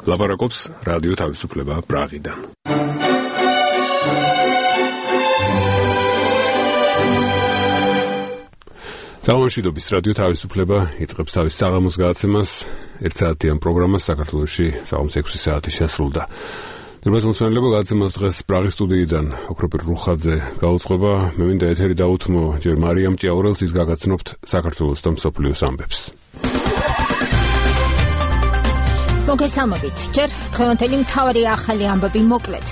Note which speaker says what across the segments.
Speaker 1: ლაპარაკობს რადიო თავისუფლება პრაღიდან. Საომშვიდობის რადიო თავისუფლება იწყებს თავის საღამოს გადაცემას. 1 საათიან პროგრამას საქართველოში საღამოს 6 საათი შესრულდა. Ներმოსმენელობა გადაცემას დღეს პრაღის სტუდიიდან ოქროპირ რუხაძე გაუძღვება. მე მინდა ეთერი დაუთმო ჯერ მარიამ ჭიაურელს, ის გაგაცნობთ საქართველოს და მსოფლიოს ამბებს.
Speaker 2: მოგესალმებით. ჯერ დღევანდელი მთავარი ახალი ამბები მოკლედ.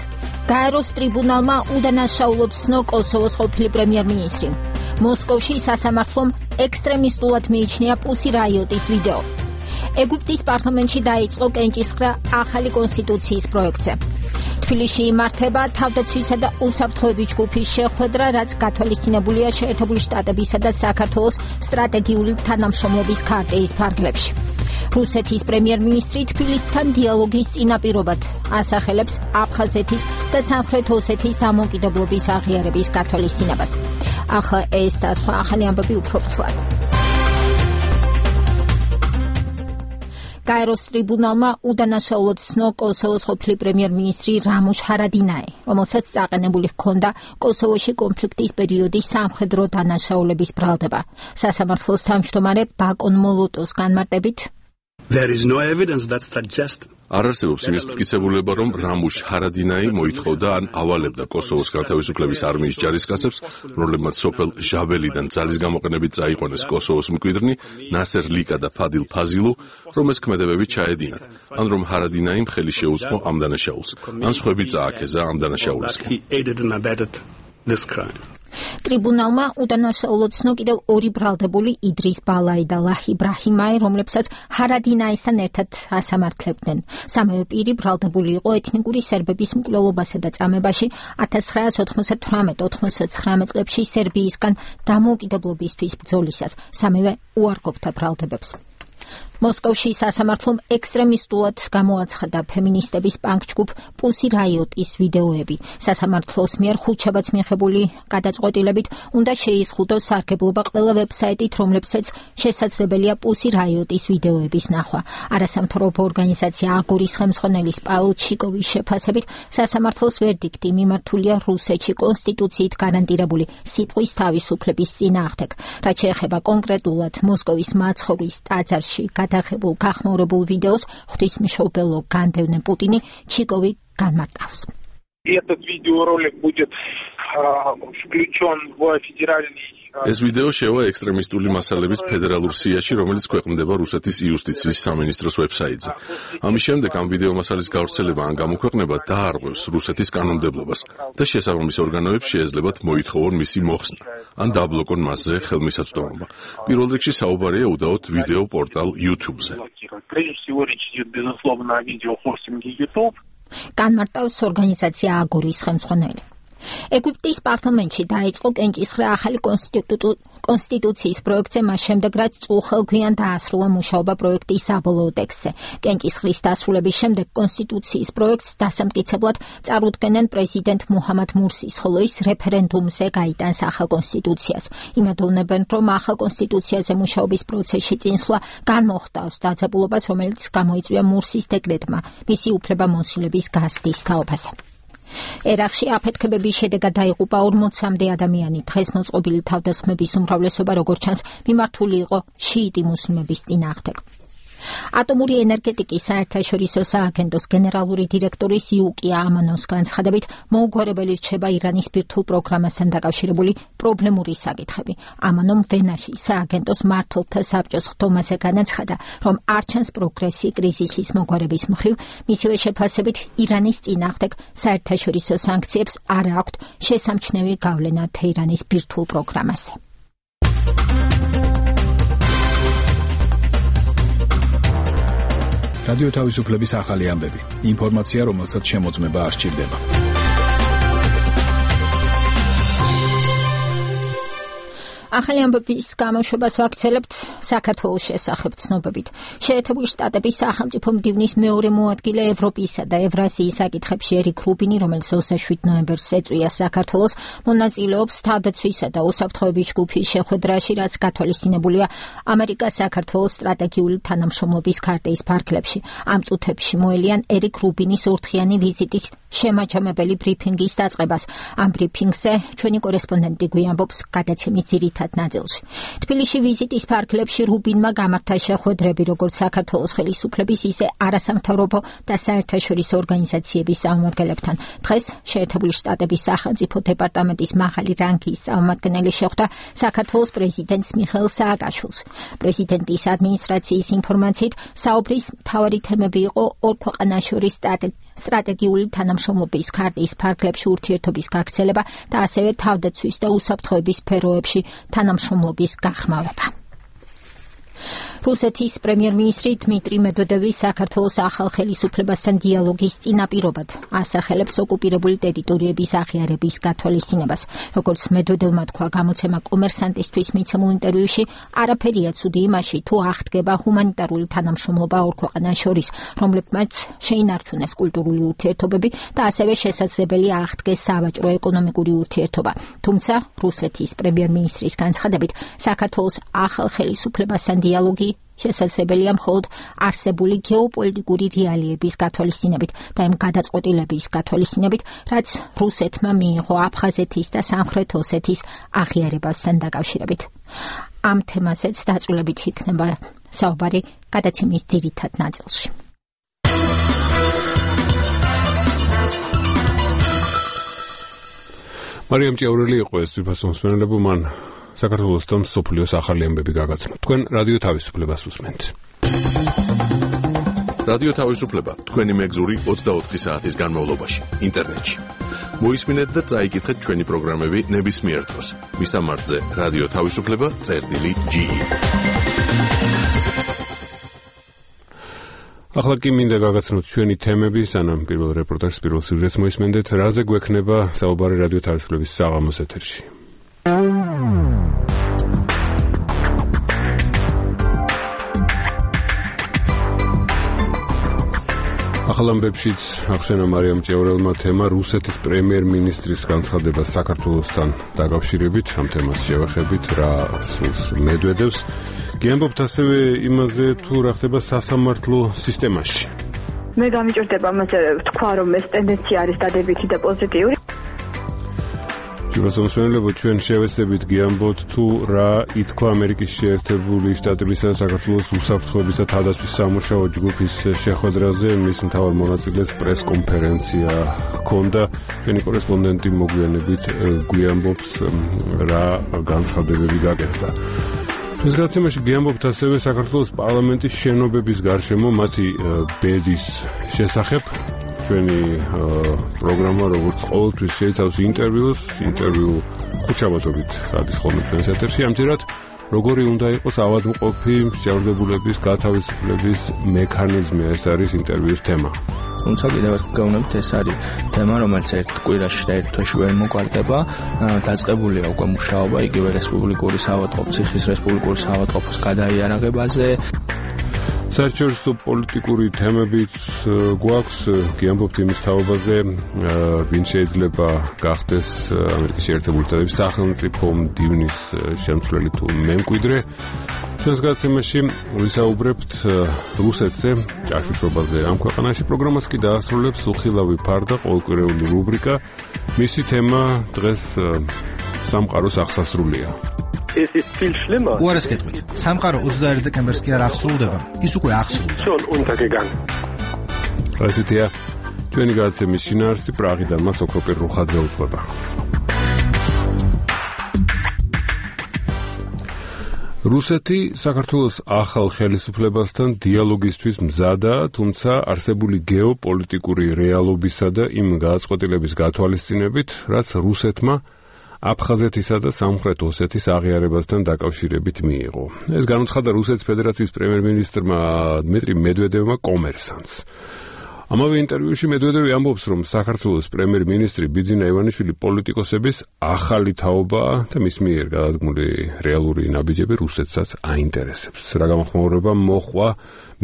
Speaker 2: გაეროს ტრიბუნალმა უდანაშაულოდ ცნო კოსოვოს ყოფილი პრემიერ-მინისტრი. მოსკოვში სასამართლომ ექსტრემისტულად მიიჩნია პუსი რაიოტის ვიდეო. ეგვიპტის პარლამენტში დაიწყო კენჭისყრა ახალი კონსტიტუციის პროექტზე. თბილისში იმართება თავდაცვისა და უსაფრთხოების ჯგუფის შეხვედრა, რაც გათვალისწინებულია შეერთებული შტატებისა და საქართველოს სტრატეგიული თანამშრომლობის ქარტიის ფარგლებში. რუსეთის პრემიერ-მინისტრი თბილისთან დიალოგის წინაპირობად ასახელებს აფხაზეთის და სამხრეთ ოსეთის დამოუკიდებლობის აღიარების გათვალისწინებას. ახლა ეს და სხვა ახალი ამბები უფრო ფრთხილად. გაეროს ტრიბუნალმა უდანაშაულოდ ცნო კოსოვოს ყოფილი პრემიერ-მინისტრი რამუშ ჰარადინაი, რომელსაც წაყენებული ჰქონდა კოსოვოში კონფლიქტის პერიოდის სამხედრო დანაშაულების ბრალდება. სასამართლოს თავმჯდომარე ბაკონ მოლოტოს განმარტებით,
Speaker 3: There is no evidence that suggests
Speaker 4: არ არსებობს იმის მტკიცებულება, რომ რამუშ ჰარადინაი მოითხოვდა ან ავალებდა კოსოვოს გათავისუფლების არმიის ჯარისკაცებს, რომლებმაც სოფელ ჟაბელიდან ძალის გამოყენებით წაიყვანეს კოსოვოს მკვიდრნი ნასერ ლიკა და ფადილ ფაზილუ, რომ ეს ქმედებები ჩაედინათ, ან რომ ჰარადინაიმ ხელი შეუწყო ამ დანაშაულს, ან სხვები წააქეზა ამ დანაშაულისკენ.
Speaker 2: ტრიბუნალმა უდანაშაულოდ ცნო კიდევ ორი ბრალდებული იდრის ბალაი და ლაჰი ბრაჰიმაი, რომლებსაც ჰარადინაისთან ერთად ასამართლებდნენ. სამივე პირი ბრალდებული იყო ეთნიკური სერბების მკვლელობასა და წამებაში 1998-99 წლებში სერბიისგან დამოუკიდებლობისთვის ბრძოლისას. სამივე უარყოფდა ბრალდებებს. მოსკოვში სასამართლომ ექსტრემისტულად გამოაცხადა ფემინისტების პანკ-ჯგუფ პუსი რაიოტის ვიდეოები. სასამართლოს მიერ ხუთშაბათს მიღებული გადაწყვეტილებით უნდა შეიზღუდოს სარგებლობა ყველა ვებსაიტით, რომლებსაც შესაძლებელია პუსი რაიოტის ვიდეოების ნახვა. არასამთავრობო ორგანიზაცია აგორის ხელმძღვანელის პაულ ჩიკოვის შეფასებით, სასამართლოს ვერდიქტი მიმართულია რუსეთში კონსტიტუციით გარანტირებული სიტყვის თავისუფლების წინააღმდეგ. რაც შეეხება კონკრეტულად მოსკოვის მაცხოვრის ტაძარში გადაღებულ გახმაურებულ ვიდეოს, ღვთისმშობელო განდევნე პუტინი ჩიკოვი განმარტავს.
Speaker 5: Этот видеоролик будет включен в федеральный
Speaker 4: ეს ვიდეო შევა ექსტრემისტული მასალების ფედერალურ სიაში, რომელიც ქვეყნდება რუსეთის იუსტიციის სამინისტროს ვებსაიტზე. ამის შემდეგ ამ ვიდეო მასალის გავრცელება ან გამოქვეყნება დაარღვევს რუსეთის კანონმდებლობას და შესაბამის ორგანოებს შეეძლებათ მოითხოვონ მისი მოხსნა ან დაბლოკონ მასზე ხელმისაწვდომობა. პირველ რიგში საუბარია უდაოდ ვიდეო პორტალ YouTube-ზე.
Speaker 2: განმარტავს ორგანიზაცია აგორის ხელმძღვანელი. ეგვიპტის პარლამენტში დაიწყო კენჭისყრა ახალი კონსტიტუციის პროექტზე, მას შემდეგ რაც წულხელგვიან დაასრულა მუშაობა პროექტის საბოლოო ტექსტზე. კენჭისყრის დასრულების შემდეგ კონსტიტუციის პროექტს დასამტკიცებლად წარუდგენენ პრეზიდენტ მუჰამად მურსის, ხოლო ის რეფერენდუმზე გაიტანს ახალ კონსტიტუციას. იმედოვნებენ, რომ ახალ კონსტიტუციაზე მუშაობის პროცესში წინსვლა განმოხტავს დაძაბულობას, რომელიც გამოიწვია მურსის დეკრეტმა მისი უფლებამოსილების გაზრდის თაობაზე. ერაყში აფეთქებების შედეგად დაიღუპა 40-მდე ადამიანი. დღეს მოწყობილი თავდასხმების უმრავლესობა, როგორც ჩანს, მიმართული იყო შიიტი მუსლიმების წინააღმდეგ. ატომური ენერგეტიკის საერთაშორისო სააგენტოს გენერალური დირექტორის იუკია ამანოს განცხადებით, მოუგვარებელი რჩება ირანის ბირთვულ პროგრამასთან დაკავშირებული პრობლემური საკითხები. ამანომ ვენაში სააგენტოს მმართველთა საბჭოს ხდომაზე განაცხადა, რომ არ ჩანს პროგრესი კრიზისის მოგვარების მხრივ, მისივე შეფასებით ირანის წინააღმდეგ საერთაშორისო სანქციებს არ აქვთ შესამჩნევი გავლენა თეირანის ბირთვულ პროგრამაზე.
Speaker 6: რადიო თავისუფლების ახალი ამბები. ინფორმაცია, რომელსაც შემოწმება არ სჭირდება.
Speaker 2: ახალი ამბების გამოშვებას ვაქცელებთ საქართველოს შესახებ ცნობებით. შეერთებული შტატების სახელმწიფო მდივნის მეორე მოადგილე ევროპისა და ევრაზიის საკითხებში ერიკ რუბინი, რომელიც 27 ნოემბერს ეწვია საქართველოს, მონაწილეობს თავდაცვისა და უსაფრთხოების ჯგუფის შეხვედრაში, რაც გათვალისწინებულია ამერიკას საქართველოს სტრატეგიული თანამშრომლობის ქარტის ფარგლებში. ამ წუთებში მოელიან ერიკ რუბინის ორთქიანი ვიზიტის შემაჯამებელი ბრიფინგის დაწყებას. ამ ბრიფინგზე ჩვენი კორესპონდენტი გვიამბობს გადაცემის ძირითად ნაწილში. თბილისში ვიზიტის ფარგლებში რუბინმა გამართა შეხვედრები როგორც საქართველოს ხელისუფლების, ისე არასამთავრობო და საერთაშორისო ორგანიზაციების წარმომადგენლებთან. დღეს შეერთებული შტატების სახელმწიფო დეპარტამენტის მაღალი რანგის წარმომადგენელი შეხვდა საქართველოს პრეზიდენტს მიხეილ სააკაშვილს. პრეზიდენტის ადმინისტრაციის ინფორმაციით, საუბრის მთავარი თემები იყო ორ ქვეყანას შორის სტრატეგიული თანამშრომლობის ქარტის ფარგლებში ურთიერთობის გაგრძელება და ასევე თავდაცვის და უსაფრთხოების სფეროებში თანამშრომლობის გაღრმავება. რუსეთის პრემიერ-მინისტრი დმიტრი მედვედევი საქართველოს ახალ ხელისუფლებასთან დიალოგის წინაპირობად ასახელებს ოკუპირებული ტერიტორიების აღიარების გათვალისწინებას. როგორც მედვედევმა თქვა გამოცემა კომერსანტისთვის მიცემულ ინტერვიუში, არაფერია ცუდი იმაში, თუ აღდგება ჰუმანიტარული თანამშრომლობა ორ ქვეყანას შორის, რომლებმაც შეინარჩუნეს კულტურული ურთიერთობები და ასევე შესაძლებელია აღდგეს სავაჭრო ეკონომიკური ურთიერთობა. თუმცა რუსეთის პრემიერ-მინისტრის განცხადებით, საქართველოს ახალ ხელისუფლებასთან დიალოგი შესაძლებელია მხოლოდ არსებული გეოპოლიტიკური რეალიების გათვალისწინებით და იმ გადაწყვეტილების გათვალისწინებით, რაც რუსეთმა მიიღო აფხაზეთის და სამხრეთ ოსეთის აღიარებასთან დაკავშირებით. ამ თემაზეც დაწვრილებით იქნება საუბარი გადაცემის ძირითად ნაწილში.
Speaker 1: მარიამ ჭიაურელი იყო ეს თვითმსმენელებო, მან საქართველოს და მსოფლიოს ახალი ამბები გაგაცნო. თქვენ რადიო თავისუფლებას უსმენთ.
Speaker 4: რადიო თავისუფლება თქვენი მეგზური 24 საათის განმავლობაში ინტერნეტში. მოისმინეთ და წაიკითხეთ ჩვენი პროგრამები ნებისმიერ დროს. მისამართზე რადიო თავისუფლება.ge.
Speaker 1: ახლა კი მინდა გაგაცნოთ ჩვენი თემები, სანამ პირველ რეპორტაჟს, პირველ სიუჟეტს მოისმენდეთ, რაზე გვექნება საუბარი რადიო თავისუფლების საღამოს ეთერში. ახალ ამბებშიც ახსენა მარიამ ჭიაურელმა თემა რუსეთის პრემიერ-მინისტრის განცხადება საქართველოსთან დაკავშირებით. ამ თემას შევეხებით, რა სურს მედვედევს. გიამბობთ ასევე იმაზე, თუ რა ხდება სასამართლო სისტემაში.
Speaker 7: მე გამიჭირდება მასე თქვა, რომ ეს ტენდენცია არის დადებითი და პოზიტიური.
Speaker 1: ჯეროსამსვენელებო, ჩვენ შევეცდებით გიამბოთ, თუ რა ითქვა ამერიკის შეერთებული შტატებისა და საქართველოს უსაფრთხოების და თავდაცვის სამუშაო ჯგუფის შეხვედრაზე. მის მთავარ მონაწილეს პრეს-კონფერენცია ჰქონდა. ჩვენი კორესპონდენტი მოგვიანებით გვიამბობს, რა განცხადებები გაკეთდა. ჩვენს გადაცემაში გიამბობთ ასევე საქართველოს პარლამენტის შენობების გარშემო მათი ბედის შესახებ. ჩვენი პროგრამა როგორც ყოველთვის შეიცავს ინტერვიუს, ინტერვიუ ხუთშაბათობით გადის ხოლმე ჩვენს ეთერში. ამჯერად როგორი უნდა იყოს ავადმყოფი მსჯავრდებულების გათავისუფლების მექანიზმი, ეს არის ინტერვიუს თემა.
Speaker 8: თუმცა კიდევ ერთხელ გავუნებთ, ეს არის თემა, რომელიც ერთ კვირაში და ერთ თვეში ვერ მოგვარდება. დაწყებულია უკვე მუშაობა იგივე რესპუბლიკური საავადმყოფო, ციხის რესპუბლიკური საავადმყოფოს გადაიარაღებაზე. საერთაშორისო პოლიტიკური თემებიც გვაქვს, გიამბობთ იმის თაობაზე, ვინ შეიძლება გახდეს ამერიკის შეერთებული შტატების სახელმწიფო მდივნის შემცვლელი თუ მემკვიდრე. ჩვენს გადაცემაში ვისაუბრებთ რუსეთზე, ჭაშუშობაზე ამ ქვეყანაში. პროგრამას კი დაასრულებს უხილავი ფარდა, ყოველკვირეული რუბრიკა. მისი თემა დღეს სამყაროს აღსასრულია.
Speaker 9: Es ist viel schlimmer.
Speaker 10: უარეს გეტყვით. სამყარო 21 დეკემბერს კი არ აღსრულდება. ის უკვე აღსრულდა.
Speaker 9: Schon untergegangen.
Speaker 1: ასეთია ჩვენი გადაცემის შინაარსი. პრაღიდან მას ოქროპირ რუხაძე უძღვება. რუსეთი საქართველოს ახალ ხელისუფლებასთან დიალოგისთვის მზადაა, თუმცა არსებული გეოპოლიტიკური რეალობისა და იმ გადაწყვეტილების გათვალისწინებით, რაც რუსეთმა აფხაზეთისა და სამხრეთ ოსეთის აღიარებასთან დაკავშირებით მიიღო. ეს განუცხადა რუსეთის ფედერაციის პრემიერ-მინისტრმა დმიტრი მედვედევმა კომერსანტს. ამავე ინტერვიუში მედვედევი ამბობს, რომ საქართველოს პრემიერ-მინისტრი ბიძინა ივანიშვილი პოლიტიკოსების ახალი თაობაა და მის მიერ გადადგმული რეალური ნაბიჯები რუსეთსაც აინტერესებს. რა გამოხმაურება მოხვა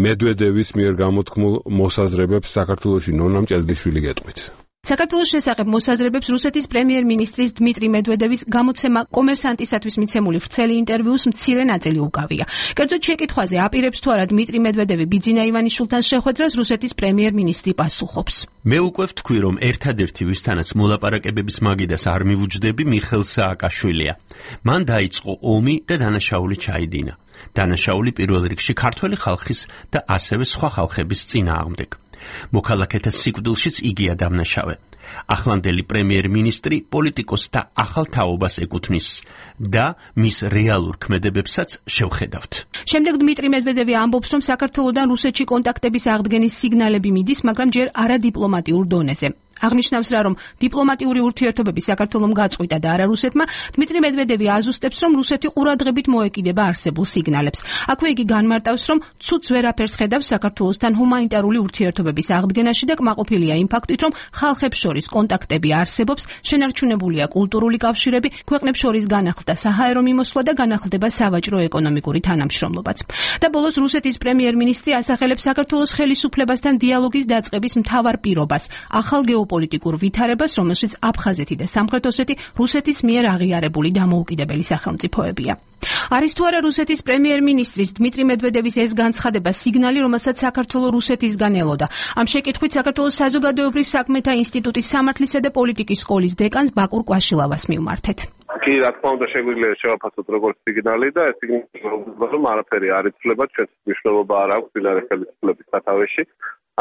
Speaker 1: მედვედევის მიერ გამოთქმულ მოსაზრებებს საქართველოში ნონა მჭედლიშვილი გეტყვით.
Speaker 11: საქართველოს შესახებ მოსაზრებებს რუსეთის პრემიერ-მინისტრის დმიტრი მედვედევის გამოცემა კომერსანტისათვის მიცემული ვრცელი ინტერვიუს მცირე ნაწილი უკავია. კერძოდ შეკითხვაზე აპირებს თუ არა დმიტრი მედვედევი ბიძინა ივანიშვილთან შეხვედრას რუსეთის პრემიერ-მინისტრი პასუხობს.
Speaker 12: მე უკვე ვთქვი, რომ ერთადერთი ვისთანაც მოლაპარაკებების მაგიდას არ მივუჯდები მიხეილ სააკაშვილია. მან დაიწყო ომი და დანაშაული ჩაიდინა. დანაშაული პირველ რიგში ქართველი ხალხის და ასევე სხვა ხალხების წინააღმდეგ. მოქალაქეთა სიკვდილშიც იგია დამნაშავე. ახლანდელი პრემიერ-მინისტრი პოლიტიკოსთა ახალ თაობას ეკუთვნის და მის რეალურ ქმედებებსაც შევხედავთ.
Speaker 11: შემდეგ დმიტრი მედვედევი ამბობს, რომ საქართველოდან რუსეთში კონტაქტების აღდგენის სიგნალები მიდის, მაგრამ ჯერ არა დიპლომატიურ დონეზე. აღნიშნავს რა, რომ დიპლომატიური ურთიერთობები საქართველომ გაწყვიტა და არა რუსეთმა, დმიტრი მედვედევი აზუსტებს, რომ რუსეთი ყურადღებით მოეკიდება არსებულ სიგნალებს. აქვე იგი განმარტავს, რომ ცუდს ვერაფერს ხედავს საქართველოსთან ჰუმანიტარული ურთიერთობების აღდგენაში და კმაყოფილია იმ ფაქტით, რომ ხალხებს შორის კონტაქტები არსებობს, შენარჩუნებულია კულტურული კავშირები, ქვეყნებს შორის განახლდა საჰაერო მიმოსვლა და განახლდება სავაჭრო-ეკონომიკური თანამშრომლობაც. და ბოლოს რუსეთის პრემიერ-მინისტრი ასახელებს საქართველოს ხელისუფლებასთან დიალოგის დაწყების მთავარ პირობას, ახალ პოლიტიკურ ვითარებას, რომელშიც აფხაზეთი და სამხრეთ ოსეთი რუსეთის მიერ აღიარებული დამოუკიდებელი სახელმწიფოებია. არის თუ არა რუსეთის პრემიერ-მინისტრის დმიტრი მედვედევის ეს განცხადება სიგნალი, რომელსაც საქართველო რუსეთისგან ელოდა. ამ შეკითხვით საქართველოს საზოგადოებრივ საქმეთა ინსტიტუტის სამართლისა და პოლიტიკის სკოლის დეკანს ბაკურ კვაშილავას მივმართეთ.
Speaker 9: კი, რა თქმა უნდა, შეგვიძლია შევაფასოთ როგორც სიგნალი და ეს სიგნალი რომ არაფერი არ იცვლება, ჩვენს მნიშვნელობა არ აქვს წინარე ხელისუფლების სათავეში.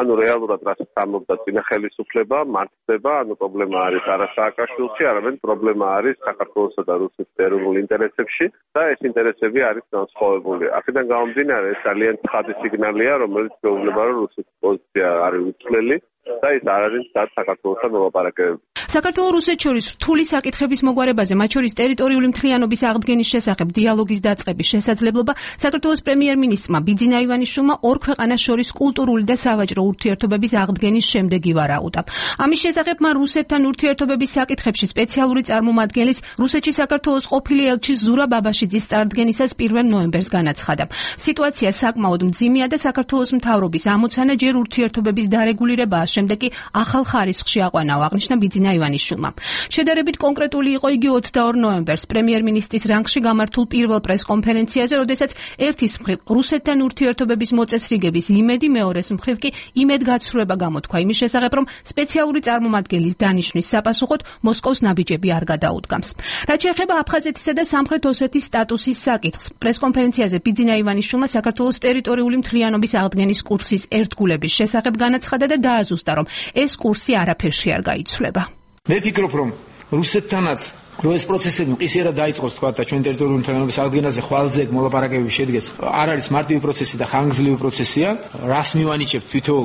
Speaker 9: ანუ რეალურად რასაც ამბობდა წინა ხელისუფლება, მართდება, ანუ პრობლემა არის არა სააკაშვილში, არამედ პრობლემა არის საქართველოსა და რუსეთის ეროვნულ ინტერესებში და ეს ინტერესები არის განსხვავებული. აქედან გამომდინარე, ეს ძალიან ცხადი სიგნალია, რომელიც გვეუბნება, რომ რუსეთის პოზიცია არის უცვლელი და ის არ არის საქართველოსთან მოლაპარაკებები.
Speaker 11: საქართველოს რუსეთს შორის რთული საკითხების მოგვარებაზე, მათ შორის ტერიტორიული მთლიანობის აღდგენის შესახებ დიალოგის დაწყების შესაძლებლობა საქართველოს პრემიერ-მინისტრმა ბიძინა ივანიშვილმა ორ ქვეყანას შორის კულტურული და სავაჭრო ურთიერთობების აღდგენის შემდეგ ივარაუდა. ამის შესახებ მან რუსეთთან ურთიერთობების საკითხებში სპეციალური წარმომადგენლის რუსეთში საქართველოს ყოფილი ელჩის ზურა ბაბაშიძის წარდგენისას 1 ნოემბერს განაცხადა. სიტუაცია საკმაოდ მძიმეა და საქართველოს მთავრობის ამოცანა ჯერ ურთიერთობების დარეგულირებაა, შემდეგ კი ახალ ხარისხში აყვანაო, აღნიშნა ბიძინა ივანიშვილმა. შედარებით კონკრეტული იყო იგი 22 ნოემბერს პრემიერ-მინისტრის რანგში გამართულ პირველ პრესკონფერენციაზე, როდესაც ერთის მხრივ რუსეთთან ურთიერთობების მოწესრიგების იმედი, მეორეს მხრივ კი იმედგაცრუება გამოთქვა იმის შესახებ, რომ სპეციალური წარმომადგენლის დანიშვნის საპასუხოდ მოსკოვს ნაბიჯები არ გადაუდგამს. რაც შეეხება აფხაზეთისა და სამხრეთ ოსეთის სტატუსის საკითხს, პრესკონფერენციაზე ბიძინა ივანიშვილმა საქართველოს ტერიტორიული მთლიანობის აღდგენის კურსის ერთგულების შესახებ განაცხადა და დააზუსტა, რომ ეს კურსი არაფერში არ გაიცვლება.
Speaker 13: მე ფიქრობ, რომ რუსეთთანაც რო ეს პროცესები მყისიერად დაიწყოს, თქვა და ჩვენ ტერიტორიული მთლიანობის აღდგენაზე ხვალზე მოლაპარაკებები შედგეს, არ არის მარტივი პროცესი და ხანგრძლივი პროცესია. რას მივანიჭებთ თვითონ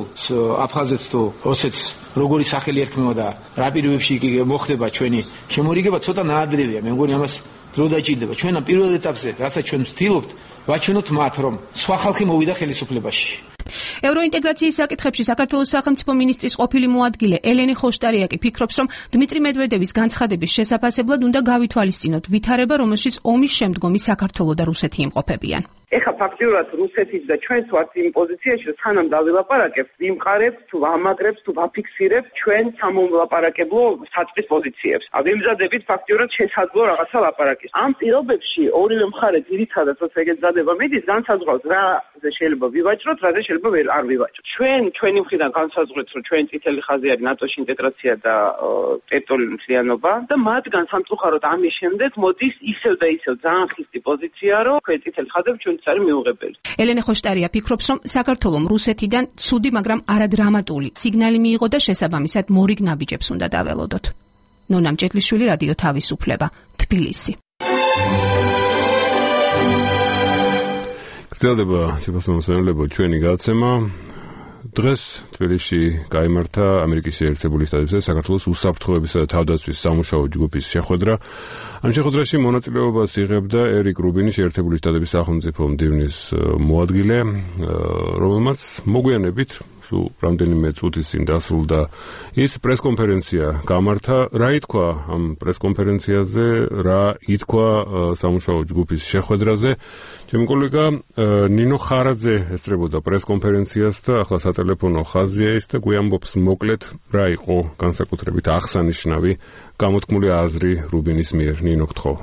Speaker 13: აფხაზეთს თუ ოსეთს, როგორი სახელი ერქმევა და რა პირობებში მოხდება ჩვენი შემორიგება, ცოტა ნაადრევია. მე მგონი ამას დრო დაჭირდება. ჩვენ ამ პირველ ეტაპზე, რასაც ჩვენ ვცდილობთ, ვაჩვენოთ მათ, რომ სხვა ხალხი მოვიდა ხელისუფლებაში.
Speaker 11: ევროინტეგრაციის საკითხებში საქართველოს სახელმწიფო მინისტრის ყოფილი მოადგილე ელენე ხოშტარიაკი ფიქრობს, რომ დმიტრი მედვედევის განცხადების შესაფასებლად უნდა გავითვალისწინოთ ვითარება, რომელშიც ომის შემდგომი საქართველო და რუსეთი იმყოფებიან.
Speaker 14: ეხლა ფაქტიურად რუსეთის და ჩვენს ვართ იმ პოზიციაში, რომ სანამ დავილაპარაკებთ, ვიმყარებთ, თუ ვამაგრებთ, თუ ვაფიქსირებთ ჩვენ სამომლაპარაკებლო საწყის პოზიციებს. ვიმზადებით ფაქტიურად შესაძლო რაღაცა ლაპარაკის. ამ პირობებში ორივე მხარე ძირითადად როცა ეგეცადება მიდის, განსაზღვრავს რაზე შეიძლება ვივაჭროთ, რაზე შეიძლება არ ვივაჭროთ. ჩვენი მხრიდან განსაზღვრეთ, რომ ჩვენ წითელი ხაზი არის ნატოში ინტეგრაცია და ტერიტორიული მთლიანობა და მათგან სამწუხაროდ ამის შემდეგ მოდის ისევ და ისევ ძალიან ხისტი პოზიცია, რომ ჩვენ წითელი ხაზები ჩვენ ელენე ხოშტარია ფიქრობს, რომ საქართველომ რუსეთიდან ცუდი, მაგრამ არადრამატული სიგნალი მიიღო და შესაბამისად მორიგ ნაბიჯებს უნდა დაველოდოთ. ნონა მჭედლიშვილი, რადიო თავისუფლება, თბილისი.
Speaker 1: გრძელდება სიფასმოსმენელებო ჩვენი გადაცემა. დღეს თბილისში გაიმართა ამერიკის შეერთებული შტატებისა და საქართველოს უსაფრთხოებისა და თავდაცვის სამუშაო ჯგუფის შეხვედრა. ამ შეხვედრაში მონაწილეობას იღებდა ერიკ რუბინი, შეერთებული შტატების სახელმწიფო მდივნის მოადგილე, რომელმაც მოგვიანებით სულ რამდენიმე წუთის წინ დასრულდა ის პრესკონფერენცია გამართა. რა ითქვა ამ პრესკონფერენციაზე, რა ითქვა სამუშაო ჯგუფის შეხვედრაზე? ჩემი კოლეგა ნინო ხარაძე ესწრებოდა პრესკონფერენციას და ახლა სატელეფონო ხაზია ის და გვიამბობს მოკლედ რა იყო განსაკუთრებით აღსანიშნავი გამოთქმული აზრი რუბინის მიერ. ნინო, გთხოვ.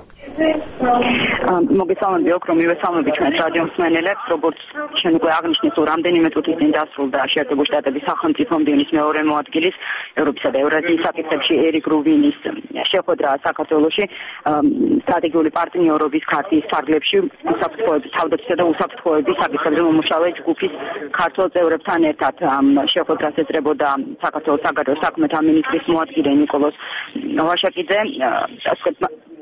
Speaker 7: მოგესალმები ოქრო, მივესალმები ჩვენს რადიო მსმენელებს, როგორც ჩვენ უკვე აღნიშნეთ, რამდენიმე წუთის წინ დასრულდა შეერთებული შტატების სახელმწიფო მდივნის მეორე მოადგილის ევროპისა და ევრაზიის საკითხებში ერიკ რუბინის შეხვედრა საქართველოში სტრატეგიული პარტნიორობის ქარტიის ფარგლებში უსაფრთხოების თავდაცვისა და უსაფრთხოების საკითხებზე მომუშავე ჯგუფის ქართველ წევრებთან ერთად შეხვედრას ეწრებოდა საქართველოს საგარეო საქმეთა მინისტრის მოადგილე ნიკოლოზ ვაშაკიძე.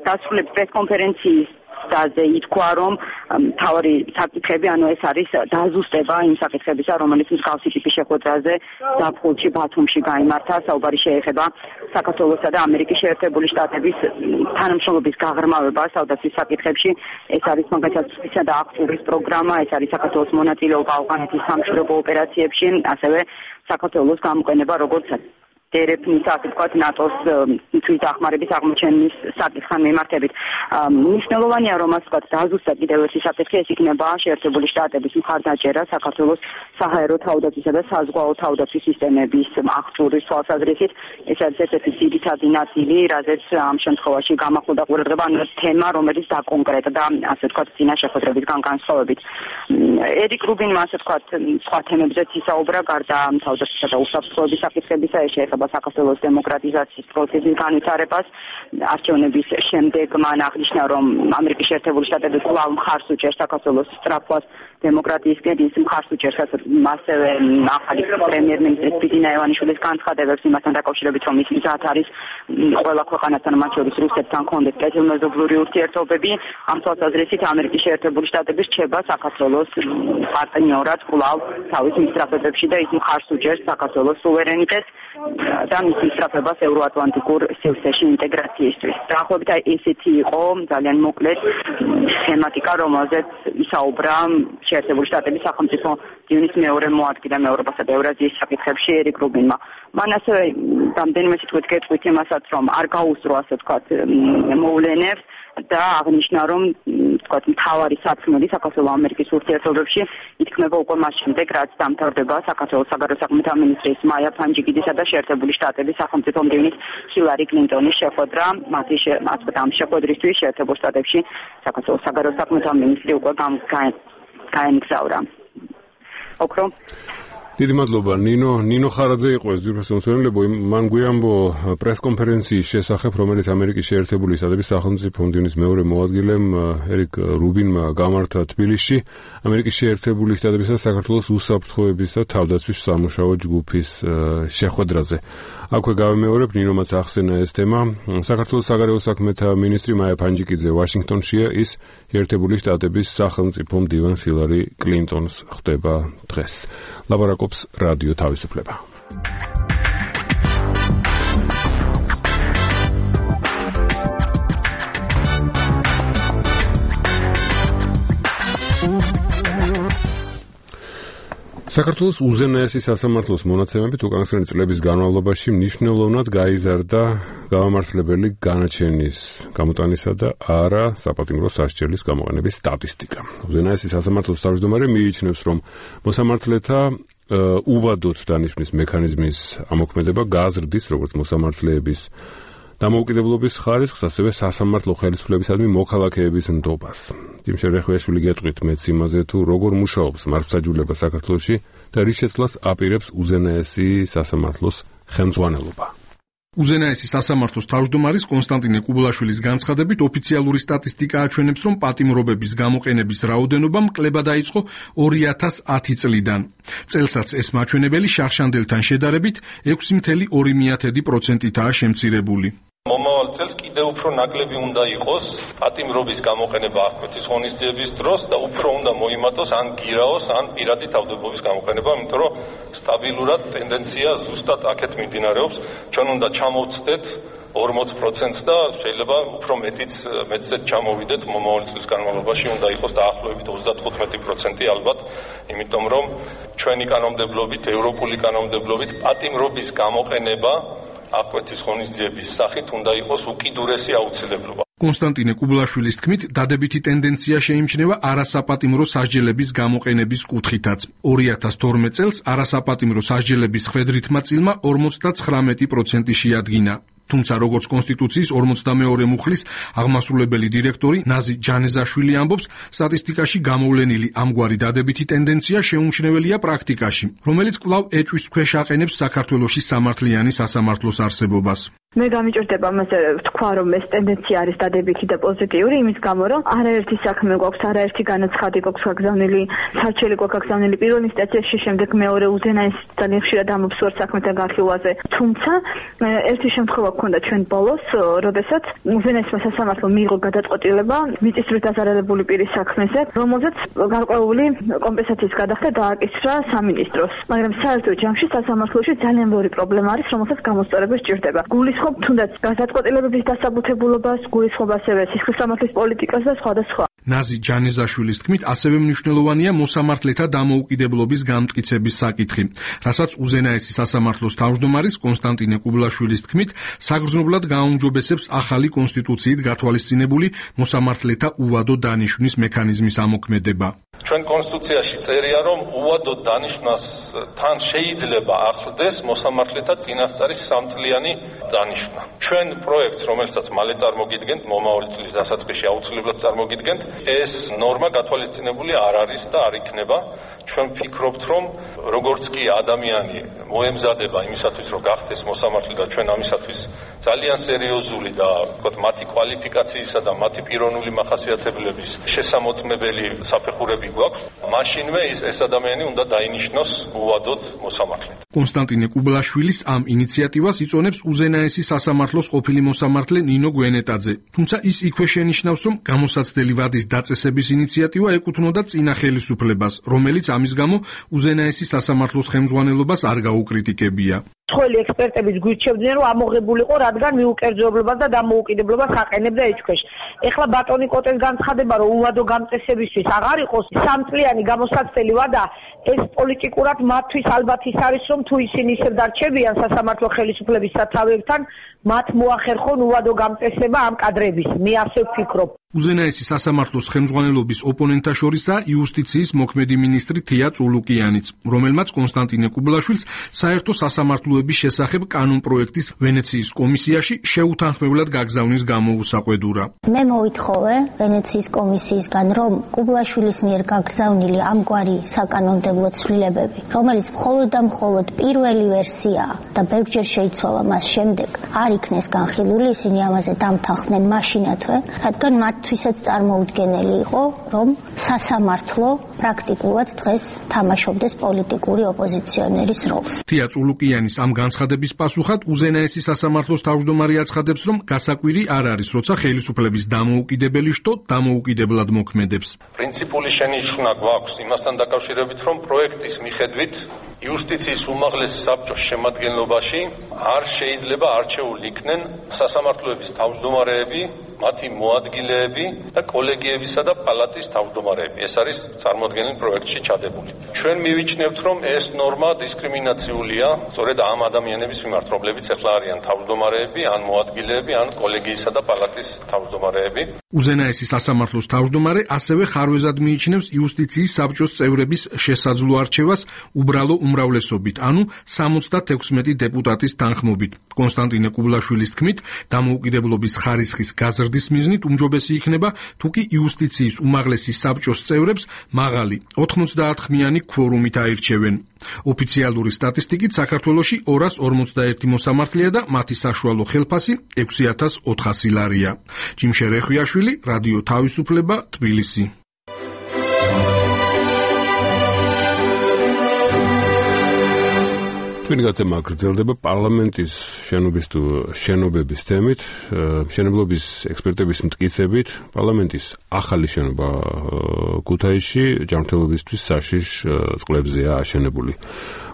Speaker 7: დასრულების პრესკონფერენციის დაზე ითქვა, რომ მთავარი საკითხები, ეს არის დაზუსტება იმ საკითხებისა, რომელიც მსგავსი ტიპის შეხვედრაზე ზაფხულში ბათუმში გაიმართა. საუბარი შეეხება საქართველოსა და ამერიკის შეერთებული შტატების თანამშრომლობის გაღრმავებას თავდაცვის საკითხებში. ეს არის მაგალითად სპეციალური და აქტურის პროგრამა, ეს არის საქართველოს მონაწილეობა ავღანეთის სამშვიდობო ოპერაციებში, ასევე საქართველოს გამოყენება როგორც დერეფნის, ასე ვთქვათ, ნატოს თვითდახმარების აღმოჩენის საკითხთან მიმართებით. მნიშვნელოვანია, რომ ასე ვთქვათ, დაზუსტა კიდევ ერთი საკითხი, ეს იქნება შეერთებული შტატების მხარდაჭერა საქართველოს საჰაერო თავდაცვისა და საზღვაო თავდაცვის სისტემების აღჭურვის თვალსაზრისით. ეს არის ერთ-ერთი ძირითადი ნაწილი, რაზეც ამ შემთხვევაში გამახვილდა ყურადღება, თემა, რომელიც დაკონკრეტდა, ასე ვთქვათ, წინა შეხვედრებისგან განსხვავებით. ერიკ რუბინმა, ასე ვთქვათ, სხვა თემებზეც ისაუბრა, გარდა თავდაცვისა და უსაფრთხოების საკითხებისა, ეს შეეხება საქართველოს დემოკრატიზაციის პროცესის განვითარებას. არჩევნების შემდეგ მან აღნიშნა, რომ ამერიკის შეერთებული შტატები კვლავ მხარს უჭერს საქართველოს სწრაფვას დემოკრატიისკენ, ის მხარს უჭერს ასევე ახალი პრემიერ-მინისტრის ბიძინა ივანიშვილის განცხადებებს იმასთან დაკავშირებით, რომ ის მზად არის ყველა ქვეყანასთან, მათ შორის რუსეთთან კონდეს კეთილმეზობლური ურთიერთობები. ამ თვალსაზრისით ამერიკის შეერთებული შტატები რჩება საქართველოს პარტნიორად კვლავ თავის მისწრაფებებში და ის მხარს უჭერს საქართველოს სუვერენიტეტს და მის მისწრაფებას ევროატლანტიკურ სივრცეში ინტეგრაციისთვის. დაახლოებით ესეთი იყო ძალიან მოკლედ თემატიკა, რომელზეც ისაუბრა შეერთებული შტატების სახელმწიფო მდივნის მეორე მოადგილე ევროპასა და ევრაზიის საკითხებში ერიკ რუბინმა. მან ასევე რამდენიმე სიტყვით გეტყვით იმასაც, რომ არ გაუსწრო, ასე ვთქვათ, მოვლენებს და აღნიშნა, რომ ვთქვათ, მთავარი სათქმელი საქართველო-ამერიკის ურთიერთობებში ითქმება უკვე მას შემდეგ, რაც დამთავრდება საქართველოს საგარეო საქმეთა მინისტრის მაია ფანჯიგიდისა და შეერთებული შტატების სახელმწიფო მდივნის ჰილარი კლინტონის შეხვედრა. ამ შეხვედრისთვის შეერთებულ შტატებში საქართველოს საგარეო საქმეთა მინისტრი უკვე გაემგზავრა. ოქრო.
Speaker 1: დიდი მადლობა ნინო ხარაძე იყო ეს ძირფასი მსმენელებო. მან გვიამბო პრესკონფერენციის შესახებ, რომელიც ამერიკის შეერთებული შტატების სახელმწიფო მდივნის მეორე მოადგილემ ერიკ რუბინმა გამართა თბილისში ამერიკის შეერთებული შტატებისა და საქართველოს უსაფრთხოების და თავდაცვის სამუშაო ჯგუფის შეხვედრაზე. აქვე გავიმეორებ, ნინომაც ახსენა ეს თემა. საქართველოს საგარეო საქმეთა მინისტრი მაია ფანჯიკიძე ვაშინგტონშია, ის შეერთებული შტატების სახელმწიფო მდივანს ჰილარი კლინტონს ხვდება დღეს. ლაპარაკობს რადიო თავისუფლება. საქართველოს უზენაესი სასამართლოს მონაცემებით უკანასკნელი წლების განმავლობაში მნიშვნელოვნად გაიზარდა გამამართლებელი განაჩენის გამოტანისა და არა საპატიმრო სასჯელის გამოყენების სტატისტიკა. უზენაესი სასამართლოს თავმჯდომარე მიიჩნევს, რომ მოსამართლეთა უვადოდ დანიშვნის მექანიზმის ამოქმედება გაზრდის როგორც მოსამართლეების დამოუკიდებლობის ხარისხს, ასევე სასამართლო ხელისუფლებისადმი მოქალაქეების ნდობას. იმ შერეხვეშვილი გეტყვით მეც იმაზე, თუ როგორ მუშაობს მართლმსაჯულება საქართველოში და რის შეცვლას აპირებს უზენაესი სასამართლოს ხელმძღვანელობა.
Speaker 15: უზენაესი სასამართლოს თავმჯდომარის კონსტანტინე კუბლაშვილის განცხადებით ოფიციალური სტატისტიკა აჩვენებს, რომ პატიმრობების გამოყენების რაოდენობა მკლება დაიწყო 2010 წლიდან. წელსაც ეს მაჩვენებელი შარშანდელთან შედარებით 6,2%-აა შემცირებული.
Speaker 16: მომავალ წელს კიდევ უფრო ნაკლები უნდა იყოს პატიმრობის გამოყენება აღკვეთის ღონისძიების დროს და უფრო უნდა მოიმატოს ან გირაოს, ან პირადი თავდადების გამოყენება, იმიტომ რომ სტაბილურად ტენდენცია ზუსტად აქეთ მიმდინარეობს. ჩვენ უნდა ჩამოვცდეთ 40%-ს და შეიძლება უფრო მეტზეც ჩამოვიდეთ მომავალი წლის განმავლობაში უნდა იყოს დაახლოებით 35% ალბათ, იმიტომ რომ ჩვენი კანონმდებლობით, ევროპული კანონმდებლობით პატიმრობის გამოყენება აღკვეთის ღონისძიების სახით უნდა იყოს უკიდურესი აუცილებლობა.
Speaker 15: კონსტანტინე კუბლაშვილის თქმით, დადებითი ტენდენცია შეიმჩნევა არასაპატიმრო სასჯელების გამოყენების კუთხითაც. 2012 წელს არასაპატიმრო სასჯელების ხვედრითმა წილმა 59% შეადგინა. თუმცა როგორც კონსტიტუციის 42 მუხლის აღმასრულებელი დირექტორი ნაზი ჯანეზაშვილი ამბობს, სტატისტიკაში გამოვლენილი ამგვარი დადებითი ტენდენცია შეუმჩნეველია პრაქტიკაში, რომელიც კვლავ ეჭვის ქვეშ აყენებს საქართველოში სამართლიანი სასამართლოს არსებობას.
Speaker 17: მე გამიჭირდება მასე ვთქვა, რომ ეს ტენდენცია არის დადებითი და პოზიტიური, იმის გამო, რომ არაერთი საქმე გვაქვს, არაერთი განაცხადი გვაქვს გაგზავნილი, სარჩელი გვაქვს გაგზავნილი პირველ ინსტანციაში, შემდეგ მეორე უზენაესი ძალიან ხშირად ამობსვარ საქმეთან განხილვაზე. თუმცა ერთი შემთხვევა გქონდა ჩვენ ბოლოს, როდესაც უზენაესმა სასამართლომ მიიღო გადაწყვეტილება მიწისძვრით დაზარალებული პირის საქმეზე, რომელზეც გარკვეული კომპენსაციის გადახდა დააკისრა სამინისტროს. მაგრამ საერთო ჯამში სასამართლოში ძალიან ბევრი პრობლემა არის, რომელსაც გამოსწორება სჭირდება. გულისხმობ თუნდაც გაზადყოფილების დასაბუთებულობას, გულისხმობ ასევე სისხლისამართლის პოლიტიკას და სხვა.
Speaker 15: ნაზი ჯანეზაშვილის თქმით, ასევე მნიშვნელოვანია მოსამართლეთა დამოუკიდებლობის გამტკიცების საკითხი, რასაც უზენაესი სასამართლოს თავმჯდომარის კონსტანტინე კუბლაშვილის თქმით, საგრძნობლად გააუმჯობესებს ახალი კონსტიტუციით გათვალისწინებული მოსამართლეთა უვადო დანიშვნის მექანიზმის ამოქმედება.
Speaker 16: ჩვენ კონსტიტუციაში წერია, რომ უვადო დანიშვნას თან შეიძლება ახლდეს მოსამართლეთა წინასწარი 3 წლიანი დანიშვნა. ჩვენ პროექტს, რომელსაც მალე წარმოგიდგენთ, მომავალი წლის დასაწყისში აუცილებლად წარმოგიდგენთ, ეს ნორმა გათვალისწინებული არ არის და არ იქნება. ჩვენ ვფიქრობთ, რომ როგორც კი ადამიანი მოემზადება იმისათვის, რომ გახდეს მოსამართლე და ჩვენ ამისათვის ძალიან სერიოზული და ვთქვათ, მათი კვალიფიკაციისა და მათი პიროვნული მახასიათებლების შესამოწმებელი საფეხურები გვაქვს, მაშინვე ეს ადამიანი უნდა დაინიშნოს უვადოდ მოსამართლედ.
Speaker 15: კონსტანტინე კუბლაშვილის ამ ინიციატივას იწონებს უზენაესი სასამართლოს ყოფილი მოსამართლე ნინო გვენეტაძე. თუმცა ის იქვე შენიშნავს, რომ გამოსაცდელი ვადის დაწესების ინიციატივა ეკუთვნოდა წინა ხელისუფლებას, რომელიც ამის გამო უზენაესი სასამართლოს ხელმძღვანელობას არ გაუკრიტიკებია.
Speaker 18: მსხვილი ექსპერტებიც გვირჩევდნენ, რომ ამოღებულიყო, რადგან მიუკერძოებლობას და დამოუკიდებლობას აყენებდა ეჭქვეშ. ეხლა ბატონი კოტეს განცხადება, რომ უვადო გამწესებისთვის აღარ იყოს 3 წლიანი გამოსაცდელი ვადა, ეს პოლიტიკურად მათთვის ალბათ ის არის, რომ თუ ისინი ისევ დარჩებიან სასამართლო ხელისუფლების სათავეებთან, მათ მოახერხონ უვადო გამწესება ამ კადრების. მე ასე ვფიქრობ.
Speaker 15: უზენაესი სასამართლოს ხელმძღვანელობის ოპონენტთა შორისაა იუსტიციის მოქმედი მინისტრი თია წულუკიანიც, რომელმაც კონსტანტინე კუბლაშვილს საერთო სასამართლოების შესახებ კანონპროექტის ვენეციის კომისიაში შეუთანხმებლად გაგზავნის გამოუსაყვედურა.
Speaker 19: მე მოითხოვე ვენეციის კომისიისგან, რომ კუბლაშვილის მიერ გაგზავნილი ამგვარი საკანონმდებლო ცვლილებები, რომელიც მხოლოდ და მხოლოდ პირველი ვერსიაა და ბევრჯერ შეიცვალა მას შემდეგ, არ იქნეს განხილული, ისინი ამაზე დამთანხმდნენ მაშინათვე, რადგან მათთვისაც წარმოუდგენელი იყო, რომ სასამართლო პრაქტიკულად დღეს თამაშობდეს პოლიტიკური ოპოზიციონერის როლს.
Speaker 15: თია წულუკიანის ამ განცხადების პასუხად უზენაესი სასამართლოს თავმჯდომარე აცხადებს, რომ გასაკვირი არ არის, როცა ხელისუფლების დამოუკიდებელი შტო დამოუკიდებლად მოქმედებს.
Speaker 16: პრინციპული შენიშვნა გვაქვს იმასთან დაკავშირებით, რომ პროექტის მიხედვით იუსტიციის უმაღლეს საბჭოს შემადგენლობაში არ შეიძლება არჩეული იქნენ სასამართლოების თავმჯდომარეები, მათი მოადგილეები და კოლეგიებისა და პალატის თავმჯდომარეები. ეს არის წარმოადგენილი პროექტში ჩადებული. ჩვენ მივიჩნევთ, რომ ეს ნორმა დისკრიმინაციულია სწორედ ამ ადამიანების მიმართ, რომლებიც ახლა არიან თავმჯდომარეები, ან მოადგილეები, ან კოლეგიისა და პალატის თავმჯდომარეები.
Speaker 15: უზენაესი სასამართლოს თავმჯდომარე ასევე ხარვეზად მიიჩნევს იუსტიციის საბჭოს წევრების შესაძლო არჩევას უბრალო უმრავლესობით, ანუ 76 დეპუტატის თანხმობით. კონსტანტინე კუბლაშვილის თქმით, დამოუკიდებლობის ხარისხის გაზრდის მიზნით უმჯობესი იქნება, თუ კი იუსტიციის უმაღლესი საბჭოს წევრებს მაღალი 99-ხმიანი ქვორუმით აირჩევენ. ოფიციალური სტატისტიკით საქართველოში 241 მოსამართლეა და მათი საშუალო ხელფასი 6400 ლარია. ჯიმშე რეხვიაშვილი, რადიო თავისუფლება, თბილისი.
Speaker 1: ჩვენი გაცემა გრძელდება პარლამენტის შენობების თემით, მშენებლობის ექსპერტების მტკიცებით, პარლამენტის ახალი შენობა ქუთაისში ჯანმრთელობისთვის საშიშ წყლებზეა აშენებული.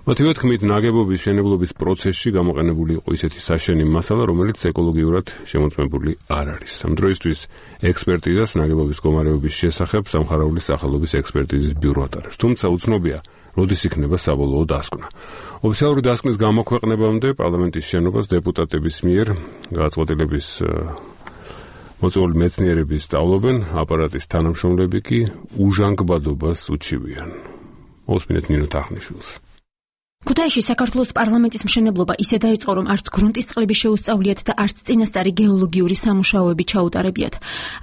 Speaker 1: მათივე თქმით, ნაგებობის მშენებლობის პროცესში გამოყენებული იყო ისეთი საშენი მასალა, რომელიც ეკოლოგიურად შემოწმებული არ არის. ამ დროისთვის ექსპერტიზას ნაგებობის მდგომარეობის შესახებ სამხარაულის სახელობის ექსპერტიზის ბიურო ატარებს. თუმცა უცნობია, როდის იქნება საბოლოო დასკვნა. ოფიციალური დასკვნის გამოქვეყნებამდე პარლამენტის შენობას დეპუტატების მიერ გადაწყვეტილების მოწვეული მეცნიერები სწავლობენ, აპარატის თანამშრომლები კი უჟანგბადობას უჩივიან. მოსმინეთ ნინო თახნიშვილს.
Speaker 11: ქუთაისში საქართველოს პარლამენტის მშენებლობა ისე დაიწყო, რომ არც გრუნტის წყლები შეუსწავლიათ და არც წინასწარი გეოლოგიური სამუშაოები ჩაუტარებიათ.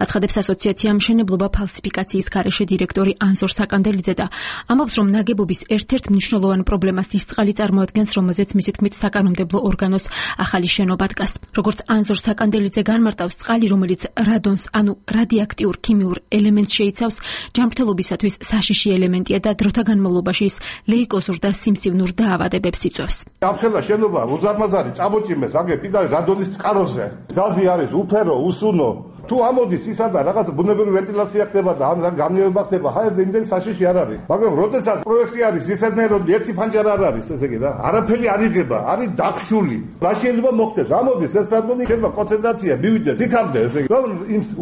Speaker 11: აცხადებს ასოციაცია მშენებლობა ფალსიფიკაციის გარეშე დირექტორი ანზორ საკანდელიძე და ამბობს, რომ ნაგებობის ერთ-ერთ მნიშვნელოვან პრობლემას ის წყალი წარმოადგენს, რომელზეც მისი თქმით საკანონმდებლო ორგანოს ახალი შენობა დგას. როგორც ანზორ საკანდელიძე განმარტავს, წყალი, რომელიც რადონს, ანუ რადიაქტიურ ქიმიურ ელემენტს შეიცავს, ჯანმრთელობისათვის საშიში ელემენტია და დროთა განმავლობაში ის ლეიკოზურ და სიმსივნურ დაავადებებს იწვევს.
Speaker 20: Ამხელა შენობა უზარმაზარი წამოჭიმეს აგები და რადონის წყაროზე. გაზი არის უფერო, უსუნო. თუ ამოდის ისა და რაღაც ბუნებრივი ვენტილაცია ხდება და ან განმეორება ხდება, ჰაერზე იმდენი საშიში არ არის. მაგრამ როდესაც პროექტი არის ისეთნაირ რომ ერთი ფანჯარა არ არის, ესე იგი რა, არაფერი არ იღება, არის დახშული. რა შეიძლება მოხდეს? ამოდის ეს რადონი ხება კონცენტრაცია მივიდეს იქამდე, ესე იგი რომ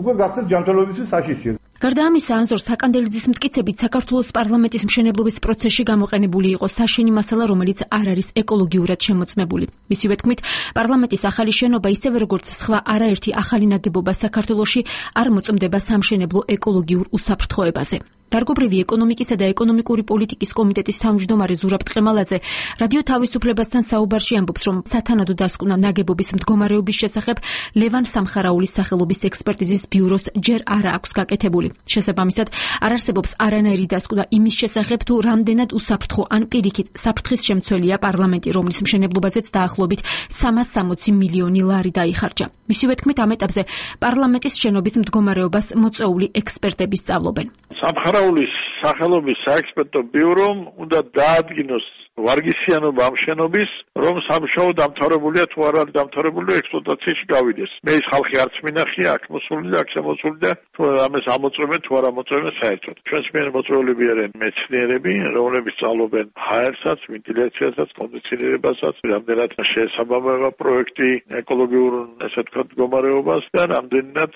Speaker 20: უკვე გახდეს ჯანმრთელობისთვის საშიში.
Speaker 11: გარდა ამისა, ანზორ საკანდელიძის მტკიცებით, საქართველოს პარლამენტის მშენებლობის პროცესში გამოყენებული იყო საშენი მასალა, რომელიც არ არის ეკოლოგიურად შემოწმებული. მისივე თქმით, პარლამენტის ახალი შენობა ისევე როგორც სხვა არაერთი ახალი ნაგებობა საქართველოში არ მოწმდება სამშენებლო ეკოლოგიურ უსაფრთხოებაზე. დარგობრივი ეკონომიკისა და ეკონომიკური პოლიტიკის კომიტეტის თავმჯდომარე ზურაბ ტყემალაძე რადიო თავისუფლებასთან საუბარში ამბობს, რომ სათანადო დასკვნა ნაგებობის მდგომარეობის შესახებ ლევან სამხარაულის სახელობის ექსპერტიზის ბიუროს ჯერ არ აქვს გაკეთებული. შესაბამისად, არ არსებობს არანაირი დასკვნა იმის შესახებ, თუ რამდენად უსაფრთხო ან პირიქით საფრთხის შემცველია პარლამენტი, რომლის მშენებლობაზეც დაახლოებით 360 მილიონი ლარი დაიხარჯა. მისივე თქმით, ამ ეტაპზე პარლამენტის შენობის მდგომარეობას მოწვეული ექსპერტები სწავლობენ.
Speaker 21: სამხარაულის სახელობის საექსპერტო ბიურომ უნდა დაადგინოს ვარგისიანობა ამ შენობის, რომ სამუშაო დამთავრებულია თუ არ არის დამთავრებული ექსპლუატაციაში გავიდეს. მე ის ხალხი არც მინახია, აქ მოსული და აქ შემოსული და თუ ამას ამოწმებენ თუ არ ამოწმებენ საერთოდ. ჩვენს მიერ მოწვეულები არიან მეცნიერები, რომლებიც სწავლობენ ჰაერსაც, ვენტილაციასაც, კონდიციონირებასაც, რამდენად შეესაბამება პროექტი ეკოლოგიურ, ესე ვთქვათ, მდგომარეობას და რამდენად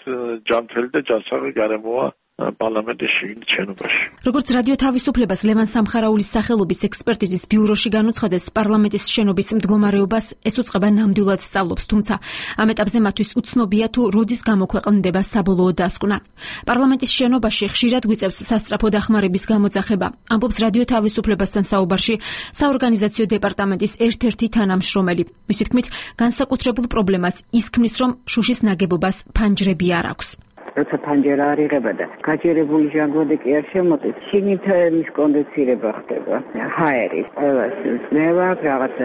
Speaker 21: ჯანმრთელი და ჯანსაღი გარემოა პარლამენტის შენობაში.
Speaker 11: როგორც რადიო თავისუფლებას ლევან სამხარაულის სახელობის ექსპერტიზის ბიუროში განუცხადეს, პარლამენტის შენობის მდგომარეობას ეს უწყება ნამდვილად სწავლობს, თუმცა ამ ეტაპზე მათთვის უცნობია თუ როდის გამოქვეყნდება საბოლოო დასკვნა. პარლამენტის შენობაში ხშირად გვიწევს სასწრაფო დახმარების გამოძახება. ამბობს რადიო თავისუფლებასთან საუბარში საორგანიზაციო დეპარტამენტის ერთ-ერთი თანამშრომელი. მისი თქმით, განსაკუთრებულ პრობლემას ის ქმნის, რომ შუშის ნაგებობას ფანჯრები არ აქვს.
Speaker 22: როცა ფანჯარა არ იღება და გაჯერებული ჟანგბადი კი არ შემოწეს, შიგნით მის კონდენსირება ხდება. ჰაერის ყველას ძნება, რაღაც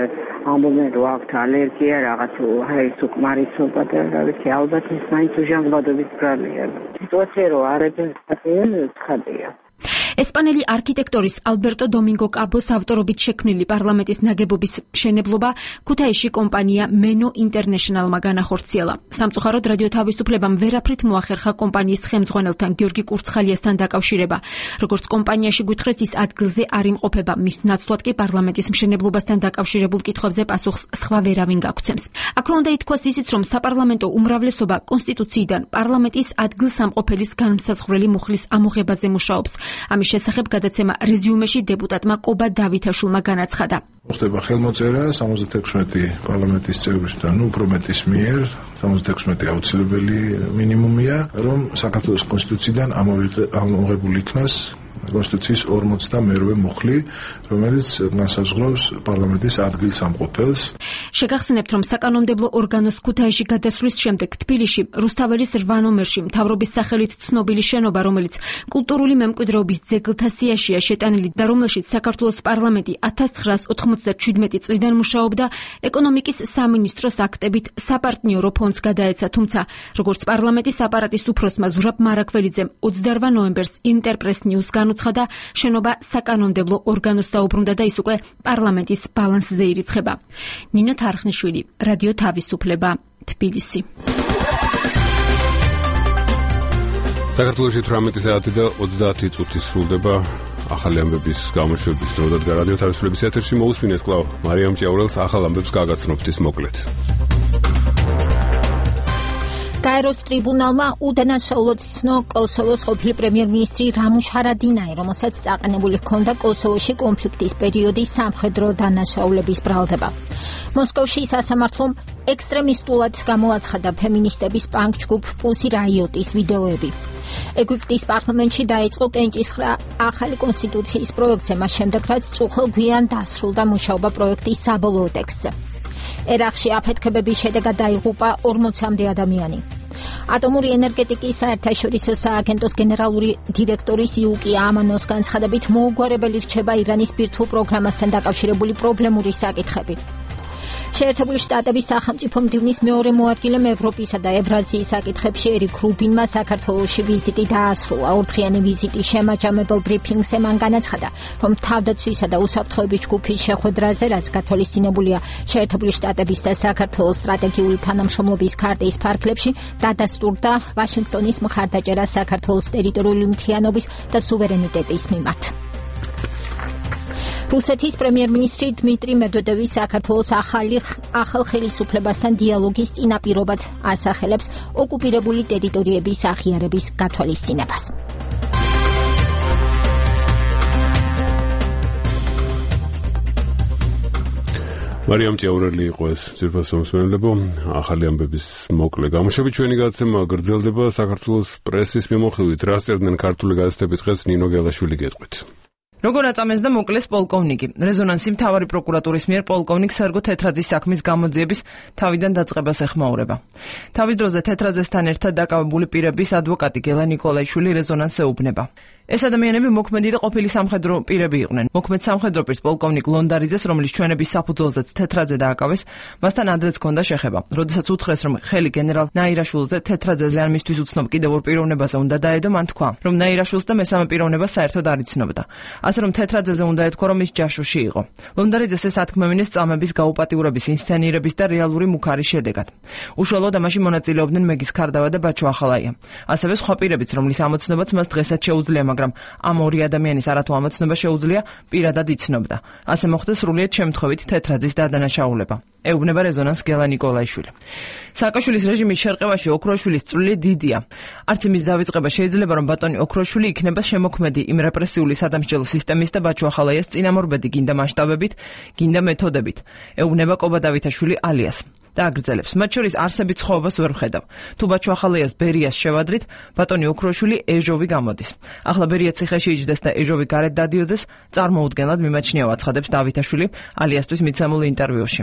Speaker 22: ამბობენ რომ აქვთ ალერგია, რაღაც ჰაერის უკმარისობა და რა ვიცი, ალბათ ის მაინც ჟანგბადობის ბრალია. სიტუაცია რომ არ ეფექტია, ცხადია.
Speaker 11: ესპანელი არქიტექტორის ალბერტო დომინგო კაბოს ავტორობით შექმნილი პარლამენტის ნაგებობის მშენებლობა ქუთაისში კომპანია მენო ინტერნეშნალმა განახორციელა. სამწუხაროდ რადიო თავისუფლებამ ვერაფრით მოახერხა კომპანიის ხელმძღვანელთან გიორგი კურცხალიასთან დაკავშირება. როგორც კომპანიაში გვითხრეს, ის ადგილზე არ იმყოფება. მის ნაცვლად კი პარლამენტის მშენებლობასთან დაკავშირებულ კითხვებზე პასუხს სხვა ვერავინ გაგცემს. აქვე უნდა ითქვას ისიც, რომ საპარლამენტო უმრავლესობა კონსტიტუციიდან პარლამენტის ადგილსამყოფელის განმსაზღვრელი მუხლის ამოღებაზე მუშაობს. ამის შესახებ გადაცემა რეზიუმეში დეპუტატმა კობა დავითაშვილმა განაცხადა.
Speaker 23: ხდება ხელმოწერა 76 პარლამენტის წევრისგან, უფრო მეტის მიერ, 76 აუცილებელი მინიმუმია, რომ საქართველოს კონსტიტუციიდან ამოღებული იქნას კონსტიტუციის 42 მუხლი, რომელიც განსაზღვრავს პარლამენტის ადგილსამყოფელს.
Speaker 11: შეგახსენებთ, რომ საკანონმდებლო ორგანოს ქუთაისში გადასვლის შემდეგ თბილისში რუსთაველის 8 ნომერში მთავრობის სახელით ცნობილი შენობა, რომელიც კულტურული მემკვიდრეობის ძეგლთა სიაშია შეტანილი და რომელშიც საქართველოს პარლამენტი 1997 წლიდან მუშაობდა, ეკონომიკის სამინისტროს აქტებით საპარტნიორო ფონდს გადაეცა, თუმცა როგორც პარლამენტის აპარატის უფროსმა ზურაბ მარაკველიძემ 28 ნოემბერს ინტერპრეს ნიუს განუცხადა, შენობა საკანონმდებლო ორგანოს დაუბრუნდა და ის უკვე პარლამენტის ბალანსზე ირიცხება. ნინო თარხნიშვილი, რადიო თავისუფლება, თბილისი.
Speaker 1: საქართველოში 18 საათი და 30 წუთი სრულდება ახალი ამბების გამოშვების დრო და რადიო თავისუფლების ეთერში მოусმინეთ კვლავ მარიამ ჭიაურელს ახალ ამბებს გაგაცნობთ ის მოკლედ.
Speaker 2: გაეროს ტრიბუნალმა უდანაშაულოდ იცნო კოსოვოს ყოფილი პრემიერ-მინისტრი რამუშ ჰარადინაი, რომელსაც წაყენებული ჰქონდა კოსოვოში კონფლიქტის პერიოდის სამხედრო დანაშაულების ბრალდება. მოსკოვში სასამართლომ ექსტრემისტულად გამოაცხადა ფემინისტების პანკ ჯგუფ პუსი რაიოტის ვიდეოები. ეგვიპტის პარლამენტში დაიწყო კენჭისხრა ახალი კონსტიტუციის პროექტზე, მას შემდეგ რაც წუხელ გვიან დასრულდა მუშაობა პროექტის საბოლოო ტექსტზე. ერაყში აფეთქებების შედეგად დაიღუპა 40-მდე ადამიანი. ატომური ენერგეტიკის საერთაშორისო სააგენტოს გენერალური დირექტორის იუკი ამანოს განცხადებით მოუგვარებელი რჩება ირანის ბირთვულ პროგრამასთან დაკავშირებული პრობლემური საკითხები. შეერთებული შტატების სახელმწიფო მდივნის მეორე მოადგილემ ევროპისა და ევრაზიის საკითხებში ერიკ რუბინმა საქართველოში ვიზიტი დაასრულა. ორდღიანი ვიზიტის შემაჯამებელ ბრიფინგზე მან განაცხადა, რომ თავდაცვისა და უსაფრთხოების ჯგუფის შეხვედრაზე, რაც გათვალისწინებულია შეერთებული შტატების და საქართველოს სტრატეგიული თანამშრომლობის ქარტის ფარგლებში, დადასტურდა ვაშინგტონის მხარდაჭერა საქართველოს ტერიტორიული მთლიანობის და სუვერენიტეტის მიმართ. რუსეთის პრემიერ-მინისტრი დმიტრი მედვედევი საქართველოს ახალ ხელისუფლებასთან დიალოგის წინაპირობად ასახელებს ოკუპირებული ტერიტორიების აღიარების გათვალისწინებას.
Speaker 1: მარიამ ჭიაურელი იყო ეს ძირფასო მსმენელებო, ახალი ამბების მოკლე გამოშვებით ჩვენი გადაცემა გრძელდება საქართველოს პრესის მიმოხილვით. რა სწერდნენ ქართული გაზეთები დღეს ნინო გელაშვილი გეტყვით.
Speaker 3: როგორ აწამეს და მოკლეს პოლკოვნიკი. რეზონანსი მთავარი პროკურატურის მიერ პოლკოვნიკ სერგო თეთრაძის საქმის გამოძიების თავიდან დაწყებას ეხმაურება. თავის დროზე თეთრაძესთან ერთად დაკავებული პირების ადვოკატი გელა ნიკოლაიშვილი რეზონანსს ეუბნება. ეს ადამიანები მოქმედი და ყოფილი სამხედრო პირები იყვნენ. მოქმედ სამხედრო პირს პოლკოვნიკ ლონდარიძეს, რომელიც ჩვენების საფუძველზეც თეთრაძე დააკავეს, მასთან ადრეც ჰქონდა შეხება. როდესაც უთხრეს, რომ ხელი გენერალ ნაირაშვილზე თეთრაძეზე ან მისთვის უცნობ კიდევ ორ პიროვნებაზე უნდა დაედო, მან თქვა, რომ ნაირაშვილს და მესამე პიროვნებას საერთოდ არ იცნობდა. ასე რომ თეთრაძეზე უნდა ეთქვა, რომ ის ჯაშუში იყო. ლონდარიძეს ეს ათქმევინეს წამების გაუპატიურების ინსცენირების და რეალური მუქარის შედეგად. უშუალოდ ამაში მონაწილეობდნენ მეგის ქარდავა და ბაჩო ახალაია. ასევე სხვა პირებიც, რომლის ამოცნობაც მას დღესაც შეუძლია, მაგრამ ამ ორი ადამიანის არათუ ამოცნობა შეუძლია, პირადად იცნობდა. ასე მოხდა სრულიად შემთხვევით თეთრაძის დადანაშაულება. ეუბნება რეზონანს გელა ნიკოლაიშვილი. სააკაშვილის რეჟიმის შერყევაში ოქროშვილის წვლილი დიდია. არც იმის დავიწყება შეიძლება, რომ ბატონი ოქროშვილი იქნება შემოქმედი იმ რეპრესიული სადამსჯელო სისტემის და ბაჩო ახალაიას წინამორბედი გინდა მასშტაბებით, გინდა მეთოდებით. ეუბნება კობა დავითაშვილი ალიას. და აგრძელებს. მათ შორის არსებით სხვაობას ვერ ვხედავ. თუ ბაჩო ახალაიას ბერიას შევადრით, ბატონი ოქროშვილი ეჟოვი გამოდის. ახლა ბერია ციხეში იჯდეს და ეჟოვი გარეთ დადიოდეს, წარმოუდგენლად მიმაჩნიაო, აცხადებს დავითაშვილი ალიასთვის მიცემულ ინტერვიუში.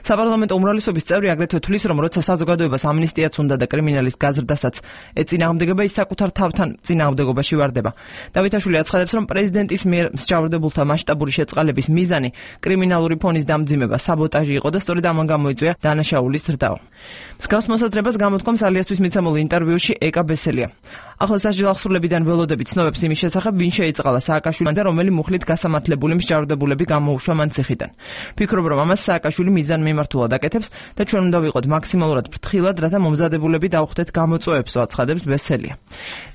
Speaker 3: საპარლამენტო უმრავლესობის წევრი აგრეთვე თვლის, რომ როცა საზოგადოებას ამნისტიაც უნდა და კრიმინალის გაზრდასაც ეწინააღმდეგება, ის საკუთარ თავთან წინააღმდეგობაში ვარდება. დავითაშვილი აცხადებს, რომ პრეზიდენტის მიერ მსჯავრდებულთა მასშტაბური შეწყალების მიზანი კრიმინალური ფონის დამძიმება, საბოტაჟი იყო და სწორედ ამან გამოიწვია დანაშაულის ზრდაო. მსგავს მოსაზრებას გამოთქვამს ალიასთვის მიცემულ ინტერვიუში ეკა ბესელია. ახლა სასჯელ აღსრულებიდან ველოდებით ცნობებს იმის შესახებ, ვინ შეიწყალა სააკაშვილთან და რომელი მუხლით გასამართლებული მსჯავრდებულები გამოუშვა მან ციხიდან. ფიქრობ, რომ ამას სააკაშვილი მიზანმიმართულად აკეთებს და ჩვენ უნდა ვიყოთ მაქსიმალურად ფრთხილად, რათა მომზადებულები დავხვდეთ გამოწვევებსო, აცხადებს ბესელია.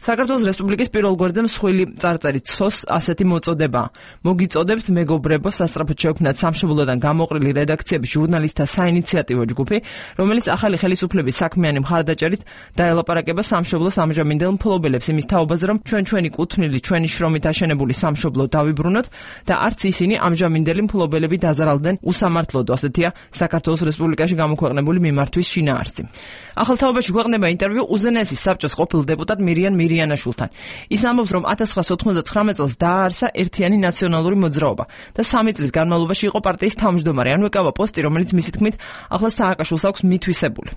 Speaker 3: საქართველოს რესპუბლიკის პირველ გვერდზე მსხვილი წარწერით სოს ასეთი მოწოდება. მოგიწოდებთ მეგობრებო, სასწრაფოდ შეუქმნათ სამშობლოდან გამოყრილი რედაქციების ჟურნალისტთა საინიციატივო ჯგუფი, რომელიც ახალი ხელისუფლების საქმიანი მხარდაჭერით დაელაპარაკება სამშობლოს ამჟამინდელ მფლობელებს იმის თაობაზე, რომ ჩვენი კუთვნილი, ჩვენი შრომით აშენებული სამშობლო დავიბრუნოთ და არც ისინი ამჟამინდელი მფლობელები დაზარალდნენ უსამართლოდ, ასეთია საქართველოს რესპუბლიკაში გამოქვეყნებული მიმართვის შინაარსი. ახალ თაობაში გვეყნება ინტერვიუ უზენაესის საბჭოს ყოფილ დეპუტატ მირიან მირიანაშვილთან. ის ამბობს, რომ 1999 წელს დააარსა ერთიანი ნაციონალური მოძრაობა და 3 წლის განმავლობაში იყო პარტიის თავმჯდომარე, ანუ ეკავა პოსტი, რომელიც მისი თქმით ახლა სააკაშვილს აქვს მითვისებული.